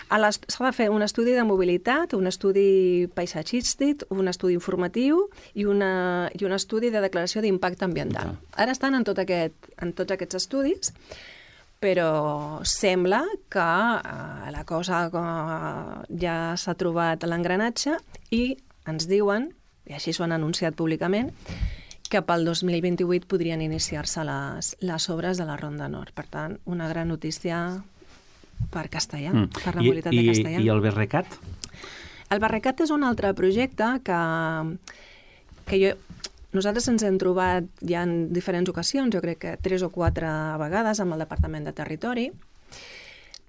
H: S'ha de fer un estudi de mobilitat, un estudi paisatgístic, un estudi informatiu i un estudi de declaració d'impacte ambiental. Ara estan en tots aquests estudis, però sembla que la cosa ja s'ha trobat l'engranatge i ens diuen, i així s'ho han anunciat públicament, que pel 2028 podrien iniciar-se les obres de la Ronda Nord. Per tant, una gran notícia per Castellà, per la mobilitat de Castellà.
G: I el BRCAT?
H: El BRCAT és un altre projecte que nosaltres ens hem trobat ja en diferents ocasions, jo crec que 3 o 4 vegades amb el Departament de Territori,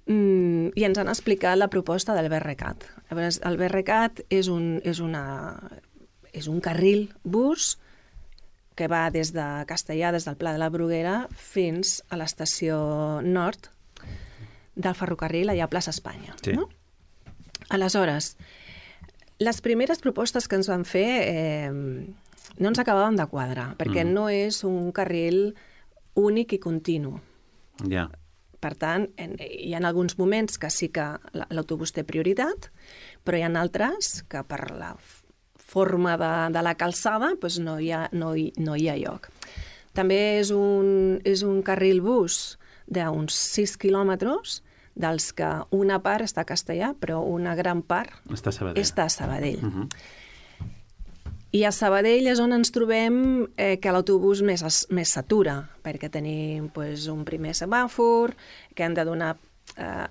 H: i ens han explicat la proposta del BRCAT. El BRCAT és un carril bus que va des de Castellà, des del Pla de la Bruguera, fins a l'estació nord del ferrocarril, allà a Plaça Espanya. Sí. No? Aleshores, les primeres propostes que ens van fer no ens acabaven de quadrar, perquè no és un carril únic i continu.
G: Ja.
H: Per tant, hi ha alguns moments que sí que l'autobús té prioritat, però hi ha altres que per la forma de la calçada doncs no hi ha lloc. També és un carril bus d'uns 6 quilòmetres, dels que una part està a Castellà, però una gran part està a Sabadell. I a Sabadell és on ens trobem que l'autobús més s'atura, perquè tenim un primer semàfor, que hem de donar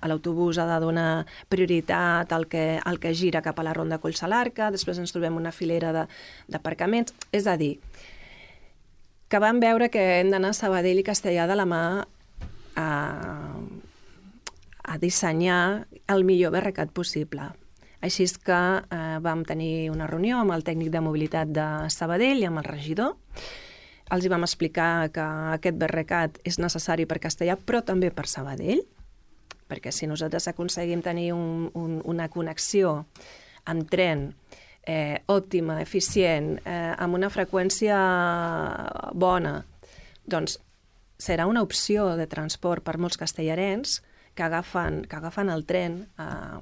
H: l'autobús ha de donar prioritat al que gira cap a la Ronda Collsalarca, després ens trobem una filera d'aparcaments. És a dir, que vam veure que hem d'anar a Sabadell i Castellà de la mà a dissenyar el millor BRCAT possible. Així és que vam tenir una reunió amb el tècnic de mobilitat de Sabadell i amb el regidor. Els hi vam explicar que aquest BRCAT és necessari per Castellà, però també per Sabadell, perquè si nosaltres aconseguim tenir una connexió amb tren òptima, eficient, amb una freqüència bona, doncs serà una opció de transport per molts castellarens que agafen el tren a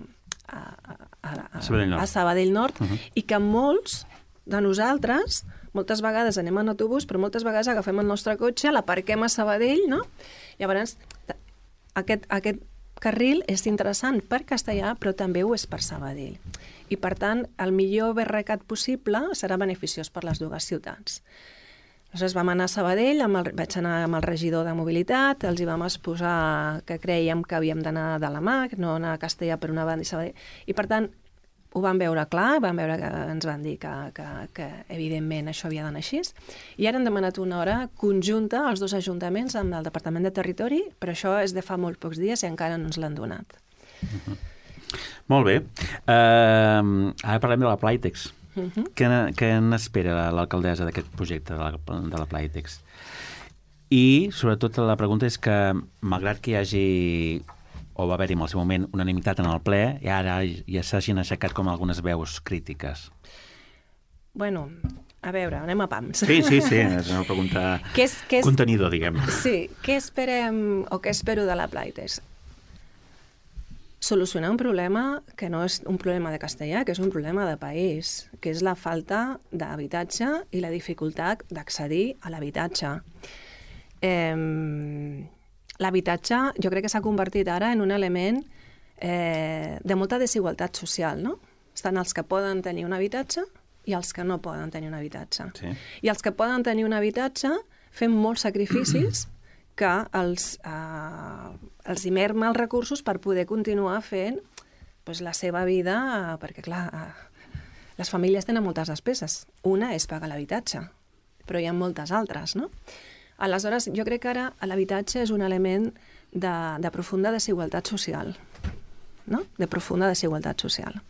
H: Sabadell Nord i que molts de nosaltres moltes vegades anem en autobús, però moltes vegades agafem el nostre cotxe, l'aparquem a Sabadell, no? Llavors, aquest carril és interessant per Castellà, però també ho és per Sabadell. I, per tant, el millor BRCAT possible serà beneficiós per les dues ciutats. Aleshores vam anar a Sabadell, vaig anar amb el regidor de mobilitat, els hi vam exposar que creiem que havíem d'anar de la mà, no anar a Castellà per una banda i Sabadell. I, per tant, ho vam veure clar, ens van dir que evidentment això havia d'anar així, i ara han demanat una hora conjunta als dos ajuntaments amb el Departament de Territori, però això és de fa molt pocs dies i encara no ens l'han donat.
G: Molt bé. Ara parlem de la Playtex. Què n'espera l'alcaldessa d'aquest projecte de la Playtex? I, sobretot, la pregunta és que, malgrat que hi hagi, o va haver-hi en el seu moment, unanimitat en el ple, i ara ja s'hagin aixecat com algunes veus crítiques.
H: Bueno, a veure, anem a pams.
G: Sí, és una pregunta contenidor, diguem.
H: Sí, què esperem o què espero de la Playtex? Solucionar un problema que no és un problema de castellà, que és un problema de país, que és la falta d'habitatge i la dificultat d'accedir a l'habitatge. L'habitatge jo crec que s'ha convertit ara en un element de molta desigualtat social, no? Estan els que poden tenir un habitatge i els que no poden tenir un habitatge. Sí. I els que poden tenir un habitatge fem molts sacrificis que els hi merma els recursos per poder continuar fent la seva vida, perquè clar, les famílies tenen moltes despeses. Una és pagar l'habitatge, però hi ha moltes altres, no? Aleshores, jo crec que ara l'habitatge és un element de profunda desigualtat social, no? De profunda desigualtat social.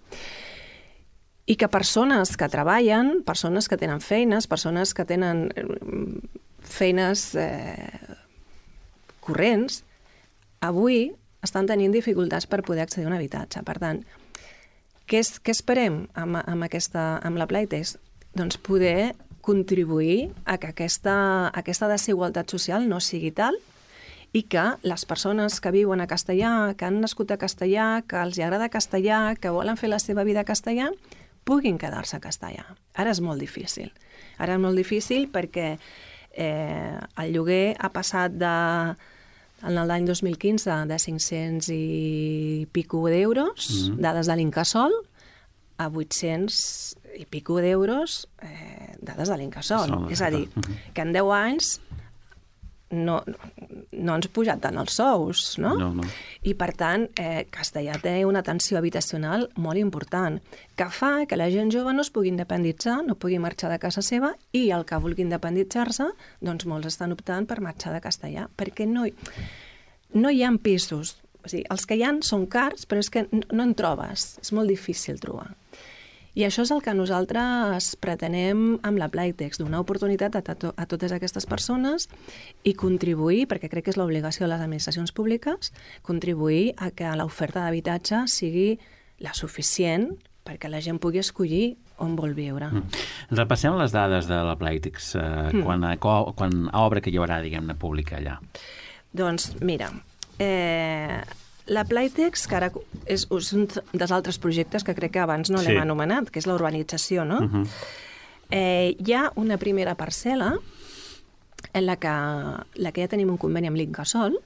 H: I que persones que treballen, persones que tenen feines, persones que tenen feines corrents, avui estan tenint dificultats per poder accedir a un habitatge. Per tant, què esperem amb la Playtex? Doncs poder contribuir a que aquesta desigualtat social no sigui tal i que les persones que viuen a Castellà, que han nascut a Castellà, que els agrada Castellà, que volen fer la seva vida a Castellà, puguin quedar-se a Castellà. Ara és molt difícil. Ara és molt difícil perquè el lloguer ha passat en l'any 2015 de 500 i pico d'euros, dades de l'Incasòl, a 800 i pico d'euros, dades de l'Incasòl. És a dir, que en 10 anys no ens pujat tant els sous, no? No. I, per tant, Castellà té una tensió habitacional molt important, que fa que la gent jove no es pugui independitzar, no pugui marxar de casa seva, i el que vulgui independitzar-se, doncs molts estan optant per marxar de Castellà, perquè no hi ha pisos. O sigui, els que hi ha són cars, però és que no en trobes, és molt difícil trobar. I això és el que nosaltres pretenem amb la Playtex, donar oportunitat a totes aquestes persones i contribuir, perquè crec que és l'obligació de les administracions públiques, contribuir a que l'oferta d'habitatge sigui la suficient perquè la gent pugui escollir on vol viure.
G: Repassem les dades de la Playtex, quan obra que hi haurà, diguem-ne, pública allà.
H: Doncs, mira, la Playtex, que ara és un dels altres projectes que crec que abans no l'hem anomenat, que és la urbanització, no? Hi ha una primera parcel·la en la que ja tenim un conveni amb l'Incasòl,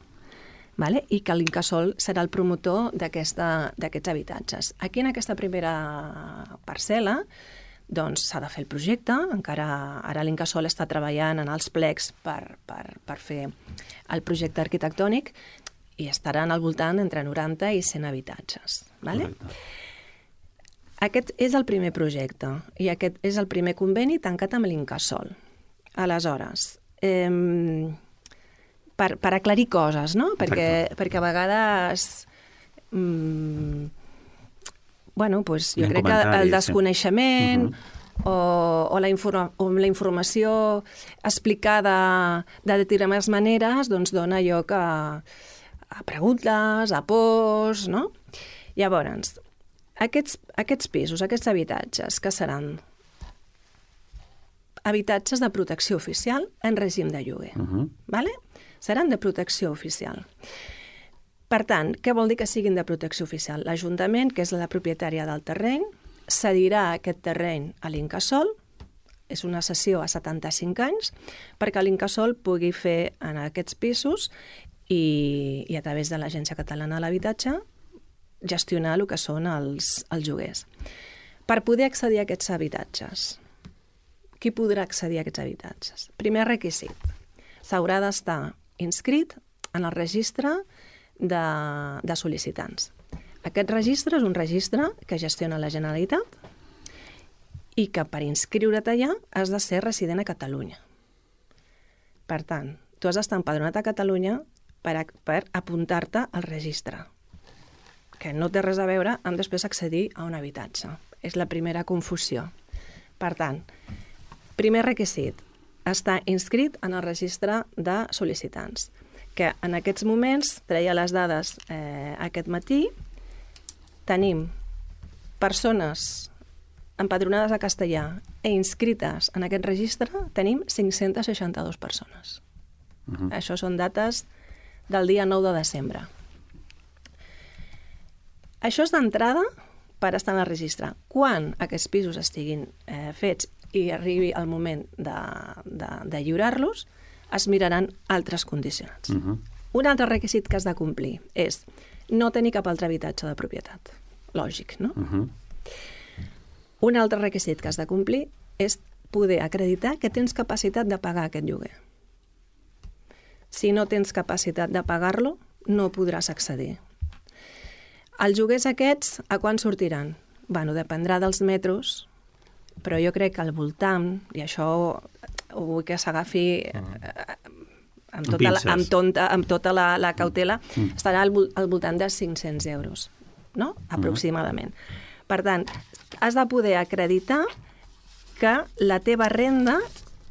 H: i que l'Incasòl serà el promotor d'aquests habitatges. Aquí, en aquesta primera parcel·la, doncs s'ha de fer el projecte, encara ara l'Incasòl està treballant en els plecs per fer el projecte arquitectònic, i estaran al voltant entre 90 i 100 habitatges. Aquest és el primer projecte i aquest és el primer conveni tancat amb l'Incasòl. Aleshores, per aclarir coses, no? Perquè a vegades jo crec que el desconeixement o la informació explicada de determinades maneres dona lloc a preguntes, a pors, no? Llavors, aquests pisos, aquests habitatges, que seran habitatges de protecció oficial en règim de lloguer, seran de protecció oficial. Per tant, què vol dir que siguin de protecció oficial? L'Ajuntament, que és la propietària del terreny, cedirà aquest terreny a l'Incasòl, és una cessió a 75 anys, perquè l'Incasòl pugui fer en aquests pisos i a través de l'Agència Catalana de l'Habitatge gestionar el que són els lloguers. Per poder accedir a aquests habitatges, qui podrà accedir a aquests habitatges? Primer requisit, s'haurà d'estar inscrit en el registre de sol·licitants. Aquest registre és un registre que gestiona la Generalitat i que per inscriure't allà has de ser resident a Catalunya. Per tant, tu has d'estar empadronat a Catalunya per apuntar-te al registre. que no té res a veure amb després accedir a un habitatge. És la primera confusió. Per tant, primer requisit, estar inscrit en el registre de sol·licitants, que en aquests moments, treia les dades aquest matí, tenim persones empadronades a castellà i inscrites en aquest registre, tenim 562 persones. Això són dates del dia 9 de desembre. Això és d'entrada per estar en el registre. Quan aquests pisos estiguin fets i arribi el moment de lliurar-los, es miraran altres condicionants. Un altre requisit que has de complir és no tenir cap altre habitatge de propietat. Lògic, no? Un altre requisit que has de complir és poder acreditar que tens capacitat de pagar aquest lloguer. Si no tens capacitat de pagar-lo, no podràs accedir. Els lloguers aquests, a quan sortiran? Bueno, dependrà dels metres, però jo crec que al voltant, i això ho vull que s'agafi amb tota la cautela, estarà al voltant de 500 euros, no? Aproximadament. Per tant, has de poder acreditar que la teva renda,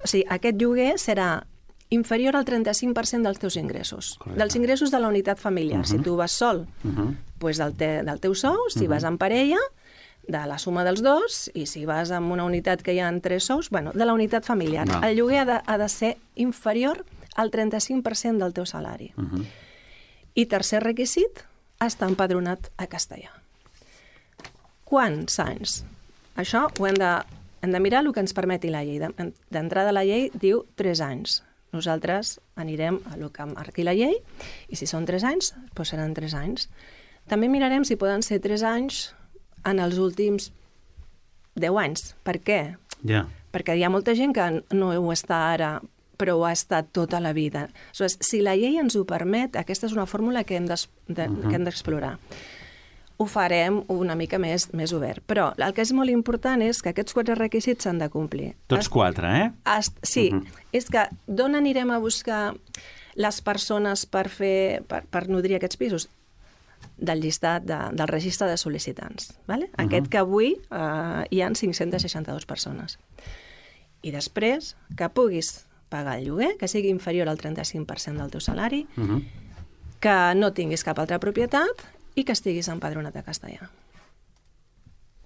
H: o sigui, aquest lloguer serà inferior al 35% dels teus ingressos. Correcte. Dels ingressos de la unitat familiar. Si tu vas sol, doncs del teu sou, si vas en parella, de la suma dels dos, i si vas en una unitat que hi ha 3 sous, bueno, de la unitat familiar. El lloguer ha de ser inferior al 35% del teu salari. I tercer requisit, estar empadronat a castellà. Quants anys? Això ho hem de mirar el que ens permeti la llei. D'entrada la llei diu 3 anys. Nosaltres anirem a el que marqui la llei i si són 3 anys, doncs seran 3 anys. També mirarem si poden ser 3 anys en els últims 10 anys. Per què? Perquè hi ha molta gent que no ho està ara, però ho ha estat tota la vida. Si la llei ens ho permet, aquesta és una fórmula que hem d'explorar. Ho farem una mica més obert. Però el que és molt important és que aquests 4 requisits s'han de complir.
G: Tots 4,
H: Sí. És que d'on anirem a buscar les persones per nodrir aquests pisos? Del llistat, del registre de sol·licitants. Aquest que avui hi ha 562 persones. I després, que puguis pagar el lloguer, que sigui inferior al 35% del teu salari, que no tinguis cap altra propietat i que estiguis empadronat a castellà.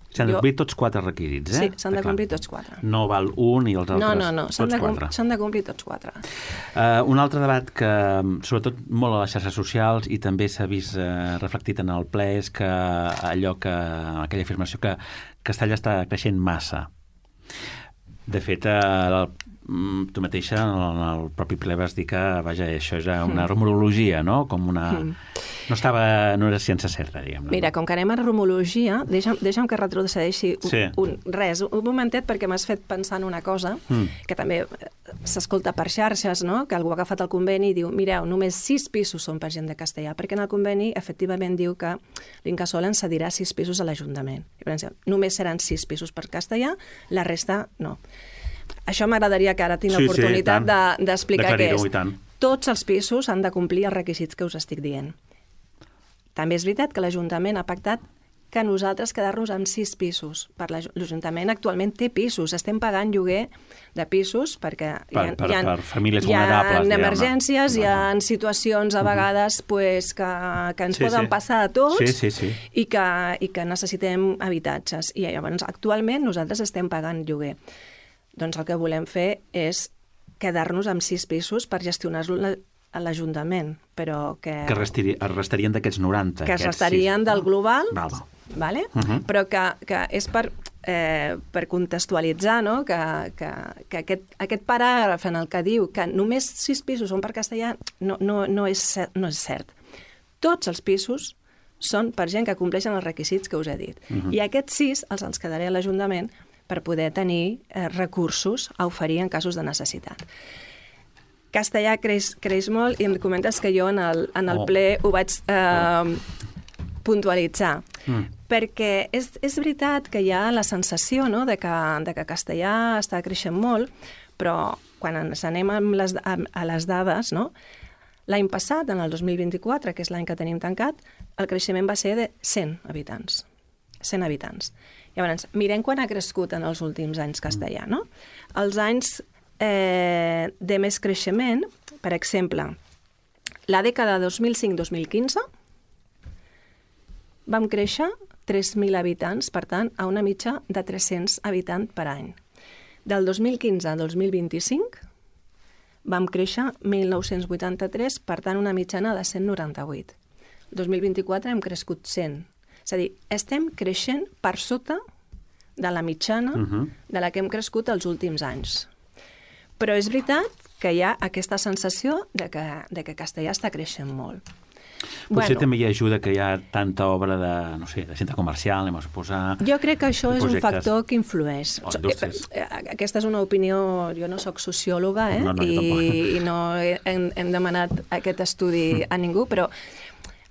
G: S'han de complir tots 4 requisits,
H: Sí, s'han de complir tots 4.
G: No val un i els altres tots 4.
H: S'han de complir tots 4.
G: Un altre debat que, sobretot molt a les xarxes socials i també s'ha vist reflectit en el ple, és que aquella afirmació que Castellà està creixent massa. De fet, tu mateixa en el propi ple vas dir que, això és una rumorologia, no? Com una... No era ciència certa, diguem-ne.
H: Mira, com que anem a rumorologia, deixa'm que retrocedeixi un momentet, perquè m'has fet pensar en una cosa que també s'escolta per xarxes, no? Que algú ha agafat el conveni i diu, mireu, només 6 pisos són per gent de castellà, perquè en el conveni efectivament diu que l'Incasòl ens cedirà 6 pisos a l'Ajuntament. Només seran 6 pisos per castellà, la resta no. Això m'agradaria que ara tinc l'oportunitat d'explicar què és. Tots els pisos han de complir els requisits que us estic dient. També és veritat que l'Ajuntament ha pactat que nosaltres quedar-nos amb 6 pisos. L'Ajuntament actualment té pisos. Estem pagant lloguer de pisos perquè
G: per famílies vulnerables.
H: Hi ha emergències, hi ha situacions a vegades que ens poden passar a tots i que necessitem habitatges. I llavors, actualment, nosaltres estem pagant lloguer. Doncs el que volem fer és quedar-nos amb 6 pisos per gestionar-lo a l'Ajuntament, però que...
G: Que es restarien d'aquests 90.
H: Que es restarien del global, però que és per contextualitzar, no? Que aquest paràgraf en el que diu que només 6 pisos són per castellà no és cert. Tots els pisos són per gent que compleixen els requisits que us he dit. I aquests 6 els quedaré a l'Ajuntament per poder tenir recursos a oferir en casos de necessitat. Castellà creix molt i em comentes que jo en el ple ho vaig puntualitzar. Perquè és veritat que hi ha la sensació de que castellà està creixent molt, però quan ens anem a les dades, L'any passat, en el 2024, que és l'any que tenim tancat, el creixement va ser de 100 habitants. 100 habitants. Llavors, mirem quan ha crescut en els últims anys castellà, no? Els anys de més creixement, per exemple, la dècada 2005-2015 vam créixer 3.000 habitants, per tant, a una mitja de 300 habitants per any. Del 2015 al 2025 vam créixer 1.983, per tant, una mitjana de 198. 2024 hem crescut 100. És a dir, estem creixent per sota de la mitjana de la que hem crescut els últims anys. Però és veritat que hi ha aquesta sensació de que castellà està creixent molt.
G: Potser també hi ajuda que hi ha tanta obra de, no sé, de centre comercial, anem a suposar...
H: Jo crec que això és un factor que influeix. Aquesta és una opinió... Jo no sóc sociòloga, i no hem demanat aquest estudi a ningú, però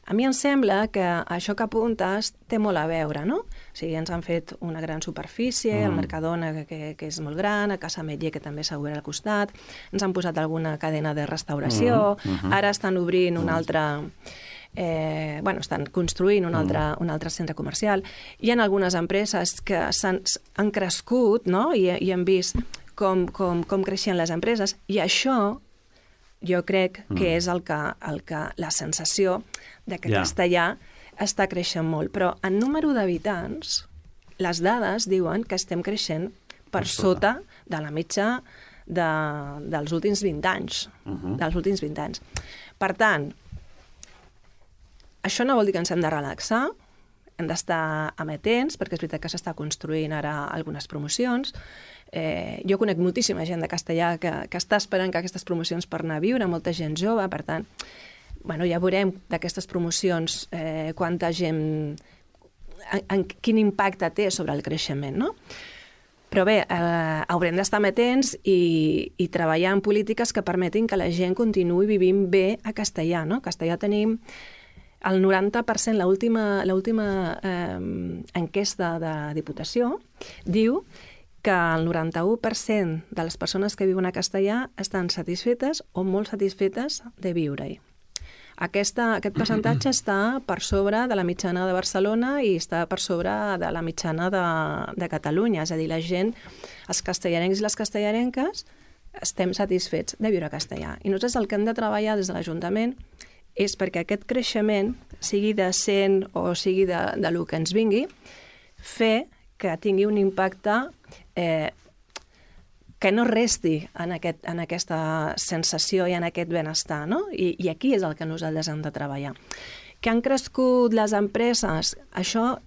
H: a mi em sembla que això que apuntes té molt a veure, no? O sigui, ens han fet una gran superfície, el Mercadona, que és molt gran, a Casa Metller, que també s'ha obert al costat, ens han posat alguna cadena de restauració, ara estan obrint una altra... estan construint un altre centre comercial. Hi ha algunes empreses que han crescut, no? I hem vist com creixien les empreses, i això jo crec que és la sensació de que castellà està creixent molt. Però en número d'habitants, les dades diuen que estem creixent per sota de la mitja dels últims 20 anys. Dels últims 20 anys. Per tant, això no vol dir que ens hem de relaxar, hem d'estar amatents, perquè és veritat que s'està construint ara algunes promocions. Jo conec moltíssima gent de castellà que està esperant que aquestes promocions per anar a viure, molta gent jove, per tant, ja veurem d'aquestes promocions quanta gent, quin impacte té sobre el creixement, no? Però bé, haurem d'estar amatents i treballar en polítiques que permetin que la gent continuï vivint bé a castellà, no? A castellà tenim el 90%, l'última enquesta de Diputació diu que el 91% de les persones que viuen a castellà estan satisfetes o molt satisfetes de viure-hi. Aquest percentatge està per sobre de la mitjana de Barcelona i està per sobre de la mitjana de Catalunya. És a dir, la gent, els castellarencs i les castellarenques, estem satisfets de viure a castellà. I nosaltres el que hem de treballar des de l'Ajuntament és perquè aquest creixement, sigui de 100 o sigui de lo que ens vingui, fer que tingui un impacte que no resti en aquesta sensació i en aquest benestar, no? I aquí és el que nosaltres hem de treballar. Que han crescut les empreses, això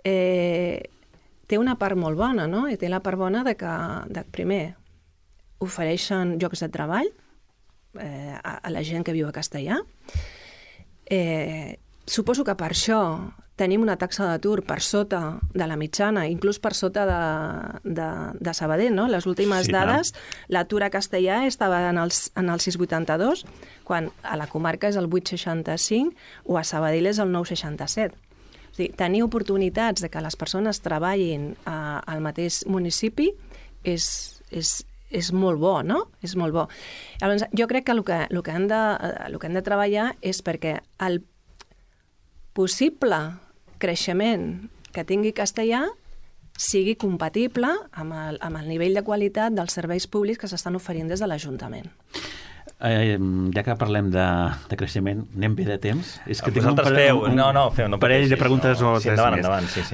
H: té una part molt bona, no? I té la part bona de que primer, ofereixen llocs de treball a la gent que viu a castellà. Suposo que per això tenim una taxa d'atur per sota de la mitjana, inclús per sota de Sabadell, no? Les últimes dades, l'atur a castellà estava en el 6,82, quan a la comarca és el 8,65 o a Sabadell és el 9,67. És dir, tenir oportunitats de que les persones treballin al mateix municipi és molt bo, no? És molt bo. Llavors, jo crec que el que hem de treballar és perquè el possible creixement que tingui castellà sigui compatible amb el nivell de qualitat dels serveis públics que s'estan oferint des de l'Ajuntament.
G: Ja que parlem de creixement, anem bé de temps? És que
C: vosaltres feu. No,
G: parell de preguntes o tres més.
C: Endavant, sí.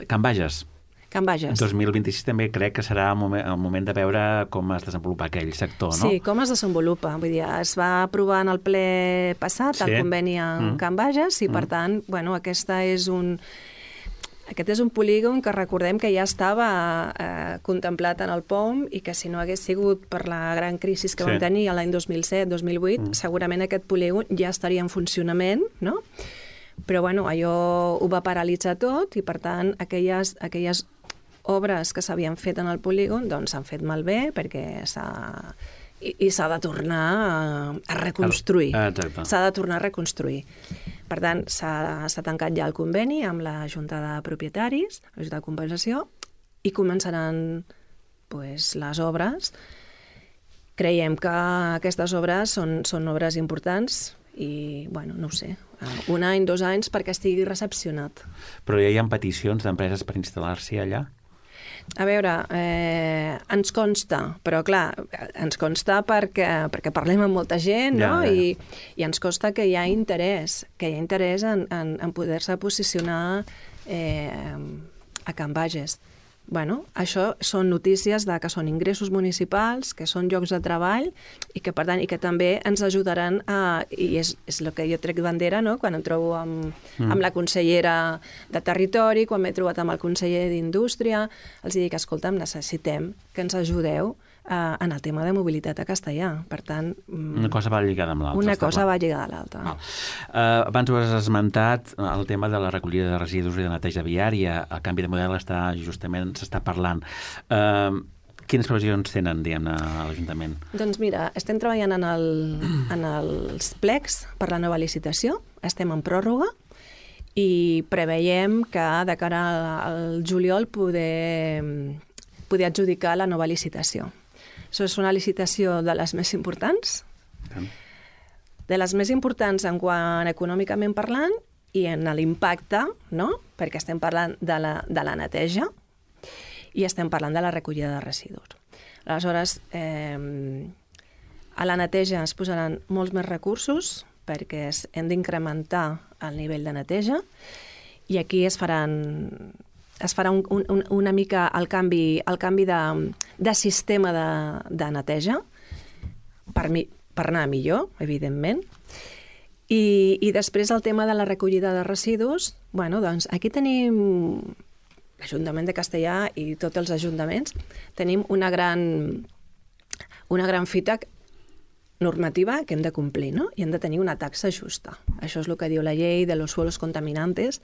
G: Can Bages.
H: Can Bages.
G: 2026 també crec que serà el moment de veure com es desenvolupa aquell sector, no?
H: Sí, com es desenvolupa. Vull dir, es va aprovar en el ple passat el conveni amb Can Bages i, per tant, aquest és un polígon que recordem que ja estava contemplat en el POM i que si no hagués sigut per la gran crisi que vam tenir l'any 2007-2008, segurament aquest polígon ja estaria en funcionament, no? Però, allò ho va paralitzar tot i, per tant, aquelles obres que s'havien fet en el polígon s'han fet malbé perquè s'ha de tornar a reconstruir.
G: Exacte.
H: S'ha de tornar a reconstruir. Per tant, s'ha tancat ja el conveni amb la Junta de Propietaris, la Junta de Compensació, i començaran les obres creiem que aquestes obres són obres importants i, bueno, no ho sé, 1 any, 2 anys perquè estigui recepcionat.
G: Però ja hi ha peticions d'empreses per instal·lar-s'hi allà?
H: A veure, ens consta, però clar, ens consta perquè parlem amb molta gent, no? I ens consta que hi ha interès, en poder-se posicionar a Can Bages. Bueno, això són notícies que són ingressos municipals, que són llocs de treball i que, per tant, i que també ens ajudaran i és el que jo trec bandera, no? Quan em trobo amb la consellera de Territori, quan m'he trobat amb el conseller d'Indústria, els dic, escolta'm, necessitem que ens ajudeu en el tema de mobilitat a Castellà. Per tant...
G: Una cosa va lligada amb l'altra.
H: Una cosa va lligada a l'altra.
G: Abans ho has esmentat, el tema de la recollida de residus i de neteja viària. El canvi de model s'està parlant. Quines previsions tenen, diguem-ne, a l'Ajuntament?
H: Doncs mira, estem treballant en els plecs per la nova licitació, estem en pròrroga i preveiem que de cara al juliol poder adjudicar la nova licitació. Això és una licitació de les més importants, en quant econòmicament parlant i en l'impacte, no? Perquè estem parlant de la neteja i estem parlant de la recollida de residus. Aleshores, a la neteja es posaran molts més recursos perquè hem d'incrementar el nivell de neteja i aquí es farà una mica el canvi de sistema de neteja per anar millor, evidentment. I després el tema de la recollida de residus, bueno, doncs aquí tenim l'Ajuntament de Castellà i tots els ajuntaments, tenim una gran fita normativa que hem de complir, no? I hem de tenir una taxa justa. Això és el que diu la llei de los suelos contaminantes.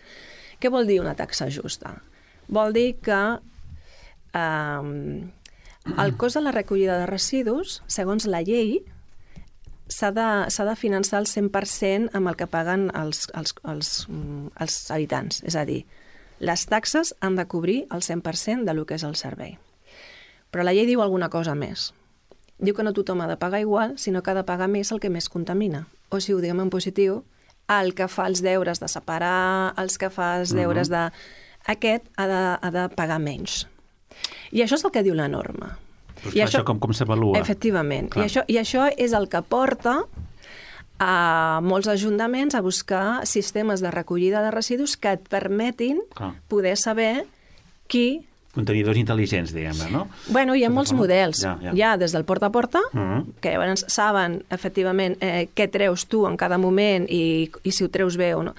H: Què vol dir una taxa justa? Vol dir que el cost de la recollida de residus, segons la llei, s'ha de finançar el 100% amb el que paguen els habitants. És a dir, les taxes han de cobrir el 100% del que és el servei. Però la llei diu alguna cosa més. Diu que no tothom ha de pagar igual, sinó que ha de pagar més el que més contamina. O si ho diguem en positiu, el que fa els deures de separar, els que fa els deures de... Aquest ha de pagar menys. I això és el que diu la norma.
G: Però clar, això com s'avalua?
H: Efectivament. I això és el que porta a molts ajuntaments a buscar sistemes de recollida de residus que et permetin poder saber qui...
G: Contenidors intel·ligents, diguem-ne, no?
H: Bueno, hi ha molts models. Hi ha des del porta a porta, que llavors saben, efectivament, què treus tu en cada moment i si ho treus bé o no,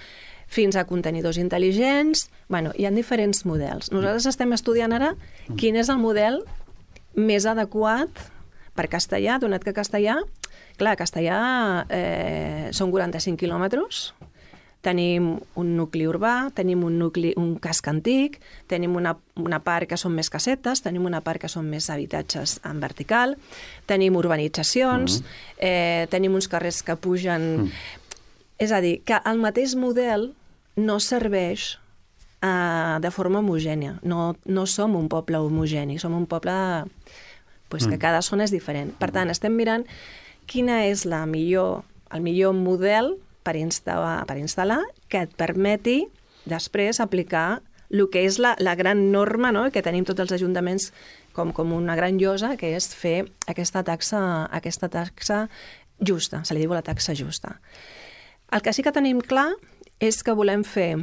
H: fins a contenidors intel·ligents. Bueno, hi ha diferents models. Nosaltres estem estudiant ara quin és el model més adequat per Castellà, donat que Castellà són 45 quilòmetres, tenim un nucli urbà, tenim un casc antic, tenim una part que són més casetes, tenim una part que són més habitatges en vertical, tenim urbanitzacions, tenim uns carrers que pugen... És a dir, que el mateix model no serveix de forma homogènia. No som un poble homogeni, som un poble que cada zona és diferent. Per tant, estem mirant quina és el millor model per instal·lar que et permeti després aplicar el que és la gran norma, no?, que tenim tots els ajuntaments com una gran llosa, que és fer aquesta taxa justa, se li diu la taxa justa. El que sí que tenim clar és que volem fer,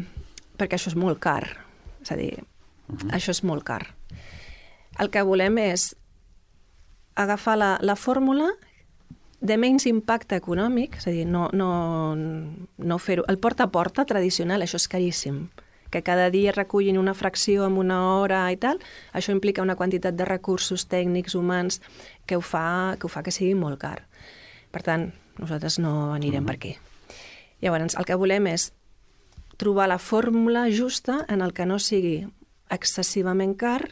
H: perquè això és molt car, és a dir, això és molt car. El que volem és agafar la fórmula de menys impacte econòmic, és a dir, no fer-ho. El porta a porta tradicional, això és caríssim. Que cada dia recullin una fracció en una hora i tal, això implica una quantitat de recursos tècnics, humans, que ho fa que sigui molt car. Per tant, nosaltres no anirem per aquí. Llavors, el que volem és trobar la fórmula justa en el que no sigui excessivament car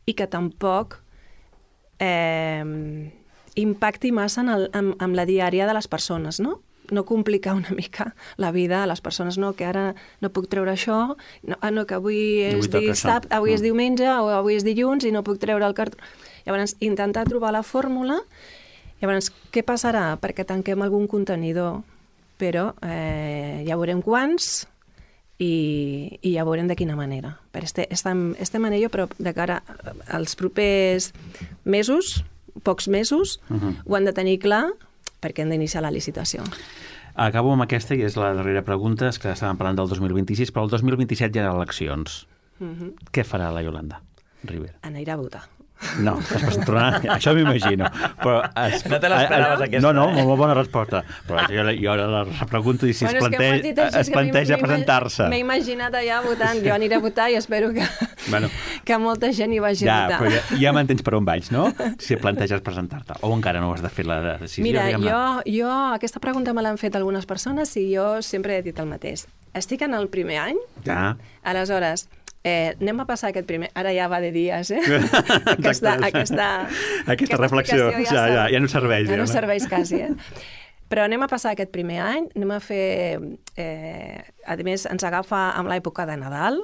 H: i que tampoc impacti massa en la diària de les persones, no? No complicar una mica la vida a les persones, no, que ara no puc treure això, no, que avui és diumenge o avui és dilluns i no puc treure el cartró. Llavors, intentar trobar la fórmula Llavors, què passarà? Perquè tanquem algun contenidor, però ja veurem quants i ja veurem de quina manera. Estem en ello, però de cara als propers mesos, pocs mesos, ho han de tenir clar perquè han d'iniciar la licitació.
G: Acabo amb aquesta, i és la darrera pregunta, és que estàvem parlant del 2026, però el 2027 hi ha eleccions. Què farà la Iolanda Rivera?
H: Anirà a votar.
G: No, això m'imagino. Però
C: no te l'esperaves, aquesta?
G: No, molt bona resposta. Però jo ara la pregunto i si es planteja presentar-se.
H: M'he imaginat allà votant. Jo aniré a votar i espero que molta gent hi vagi a votar.
G: Però ja m'entens per on vaig, no? Si planteges presentar-te. O encara no has de fer la decisió.
H: Mira, jo aquesta pregunta me l'han fet algunes persones i jo sempre he dit el mateix. Estic en el primer any, aleshores... anem a passar aquest primer... Ara ja va de dies, Aquesta
G: reflexió ja no serveix.
H: Ja no serveix quasi, Però anem a passar aquest primer any, anem a fer... a més, ens agafa amb l'època de Nadal,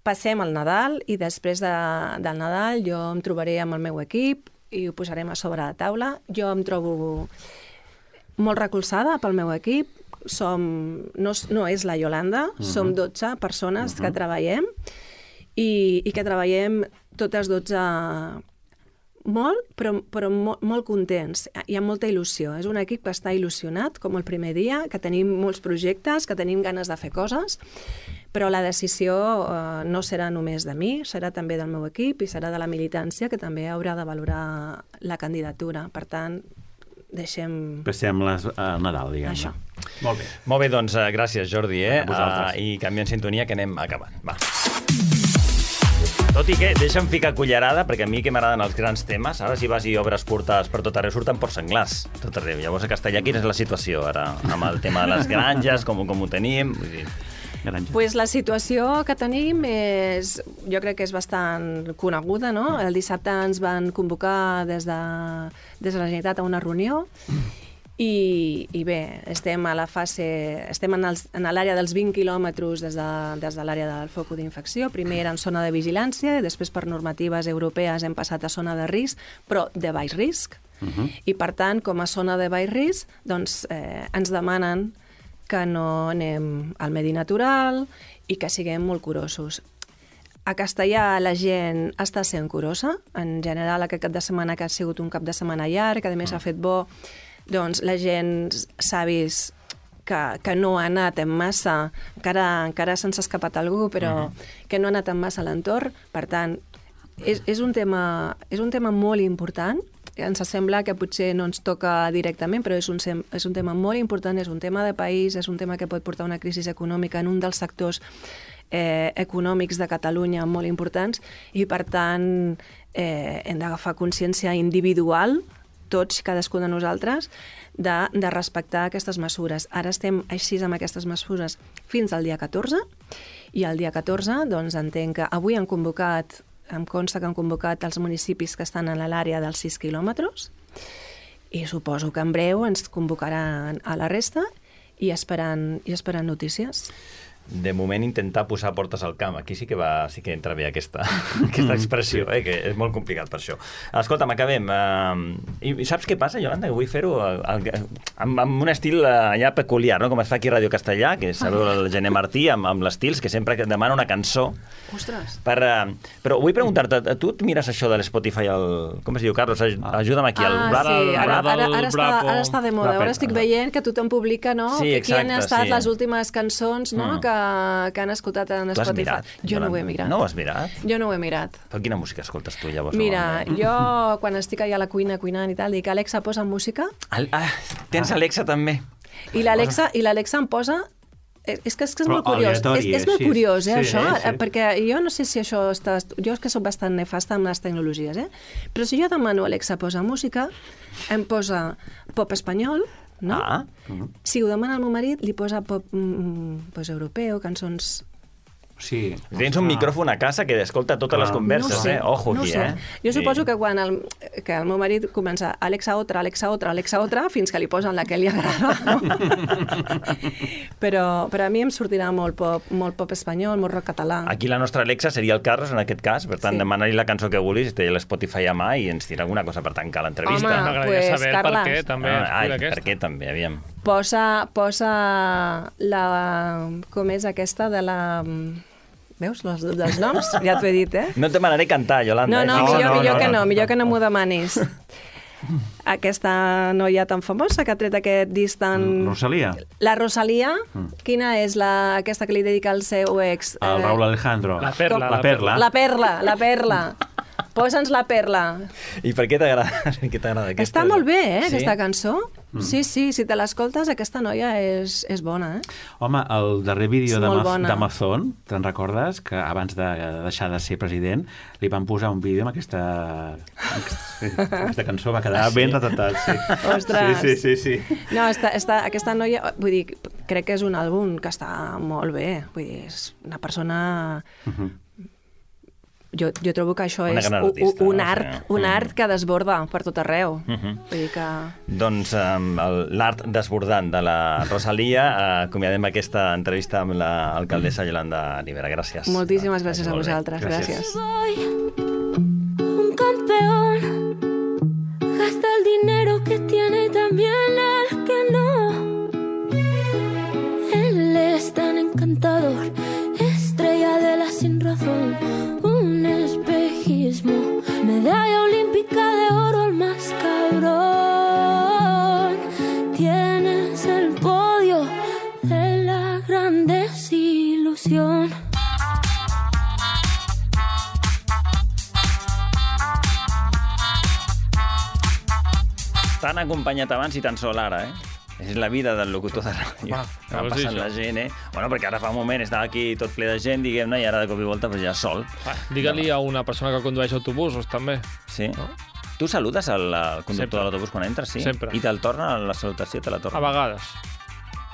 H: passem el Nadal i després del Nadal jo em trobaré amb el meu equip i ho posarem a sobre la taula. Jo em trobo molt recolzada pel meu equip, no és la Iolanda, som 12 persones que treballem i que treballem totes 12 molt, però molt contents. Hi ha molta il·lusió. És un equip que està il·lusionat, com el primer dia, que tenim molts projectes, que tenim ganes de fer coses, però la decisió no serà només de mi, serà també del meu equip i serà de la militància, que també haurà de valorar la candidatura. Per tant,
G: passem al Nadal, diguem-ne.
H: Això.
C: Molt bé, doncs gràcies, Jordi, i canviem sintonia, que anem acabant. Va. Tot i que, deixa'm ficar cullerada, perquè a mi que m'agraden els grans temes, ara si vas i obres portades per tot arreu, surten porcs senglars, tot arreu. Llavors a Castellà, quina és la situació ara, amb el tema de les granges, com ho tenim? Vull dir...
H: Pues la situació que tenim jo crec que és bastant coneguda, no? El dissabte ens van convocar des de la Generalitat a una reunió i bé, estem a la fase... Estem en l'àrea dels 20 quilòmetres des de l'àrea del focus d'infecció. Primer era en zona de vigilància i després per normatives europees hem passat a zona de risc, però de baix risc. I per tant, com a zona de baix risc, doncs ens demanen que no anem al medi natural i que siguem molt curosos. A Castellà la gent està sent curosa. En general, aquest cap de setmana, que ha sigut un cap de setmana llarg, que a més ha fet bo, doncs la gent s'ha vist que no ha anat en massa, encara se'ns ha escapat algú, però que no ha anat en massa a l'entorn. Per tant, és un tema molt important. Ens sembla que potser no ens toca directament, però és un tema molt important, és un tema de país, és un tema que pot portar una crisi econòmica en un dels sectors econòmics de Catalunya molt importants i, per tant, hem d'agafar consciència individual, tots i cadascun de nosaltres, de respectar aquestes mesures. Ara estem així amb aquestes mesures fins al dia 14 i el dia 14 doncs entenc que avui em consta que han convocat els municipis que estan a l'àrea dels 6 quilòmetres i suposo que en breu ens convocaran a la resta i esperant notícies.
C: De moment, intentar posar portes al camp. Aquí sí que entra bé aquesta expressió, que és molt complicat per això. Escolta'm, acabem. I saps què passa, Iolanda? Que vull fer-ho amb un estil allà peculiar, no? Com es fa aquí a Ràdio Castellà, que sabeu el Gené Martí, amb l'estils, que sempre demana una cançó.
H: Ostres!
C: Però vull preguntar-te, tu et mires això de l'Spotify, com es diu, Carlos? Ajuda'm aquí.
H: Sí, ara està de moda. Ara estic veient que tothom publica, no? Qui han estat les últimes cançons, no? Que han escoltat en Spotify. Jo no ho he mirat.
C: No ho has mirat?
H: Jo no ho he mirat.
C: Però quina música escoltes tu, llavors?
H: Mira, jo quan estic allà a la cuina cuinant i tal, dic, Alexa, posa música.
C: Tens Alexa també.
H: I l'Alexa em posa... És que és molt curiós. És molt curiós, això, perquè jo no sé si això està... Jo és que soc bastant nefasta amb les tecnologies, però si jo demano Alexa, posa música, em posa pop espanyol, no? Si ho demana el meu marit, li posa pop europeu, cançons
G: Sí.
C: Tens un micròfon a casa que escolta totes les converses,
H: no sé,
C: Ojo
H: no
C: aquí,
H: sé. Jo suposo que quan el meu marit comença Alexa otra, fins que li posen la que li agrada. No? però a mi em sortirà molt pop espanyol, molt rock català.
C: Aquí la nostra Alexa seria el Carlos, en aquest cas, per tant, demana-li la cançó que vulguis, té l'Spotify a mà i ens tira alguna cosa per tancar l'entrevista.
H: Home,
D: M'agradaria saber
H: Carles.
D: per què també escull aquesta.
C: Per què també, aviam.
H: Posa la... Com és aquesta de la... Veus, dels noms? Ja t'ho he dit,
C: No et demanaré cantar, Yolanda.
H: Millor que no m'ho demanis. Aquesta noia tan famosa que ha tret aquest disc tan...
G: Rosalía.
H: La Rosalía. Quina és aquesta que li dedica al seu ex?
G: El Raúl Alejandro.
D: La Perla.
G: La Perla.
H: La Perla. Posa'ns La Perla.
C: I per què t'agrada aquesta?
H: Està molt bé, aquesta cançó. Sí, si te l'escoltes, aquesta noia és bona,
G: Home, el darrer vídeo
H: És molt bona.
G: d'Amazon, te'n recordes? Que abans de deixar de ser president li van posar un vídeo amb aquesta cançó, va quedar ben retratat, sí.
H: Ostres!
G: Sí.
H: No, aquesta noia, vull dir, crec que és un àlbum que està molt bé. Vull dir, és una persona... Jo trobo que això és un art que desborda per tot arreu. Vull dir que...
C: Doncs l'art desbordant de la Rosalía, acomiadem aquesta entrevista amb l'alcaldessa Yolanda Rivera. Gràcies.
H: Moltíssimes gràcies a vosaltres. Gràcies.
I: Un campeón gasta el dinero que tiene y también el que no. Él es tan encantador, estrella de la sin razón. Medalla olímpica de oro, el más cabrón. Tienes el podio de la gran desilusión.
C: T'han acompanyat abans i tan sol ara, És la vida del locutor de ràdio. Va passant la gent, Bueno, perquè ara fa un moment estava aquí tot ple de gent, diguem-ne, i ara de cop i volta ja sol.
D: Digue-li a una persona que condueix autobusos, també.
C: Sí. No? Tu saludes al conductor de l'autobús quan entres, sí?
D: Sempre.
C: I te'l torna, la salutació te la torna?
D: A vegades.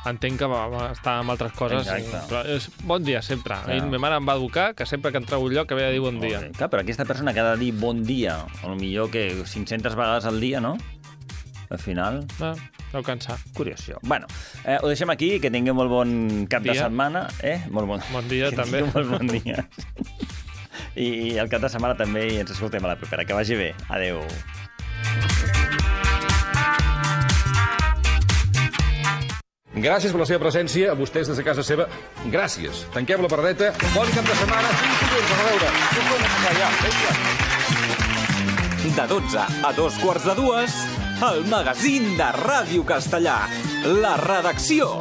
D: Entenc que va estar amb altres coses. Però és bon dia, sempre. Clar. Ma mare em va educar que sempre que entrava un lloc havia de dir bon dia.
C: Clar, però aquesta persona que ha de dir bon dia, potser que 500 vegades al dia, no? Al final...
D: Deu cansar.
C: Curiós, això. Bueno, ho deixem aquí, que tingueu molt bon cap de setmana. Molt bon
D: dia, també.
C: Molt bon dia. I el cap de setmana també, i ens escoltem a la propera. Que vagi bé. Adéu.
J: Gràcies per la seva presència, a vostès des de casa seva. Gràcies. Tanquem la pardeta. Bon cap de setmana. A veure.
A: De 12 a 2:15, el magazín de Ràdio Castellà. La redacció.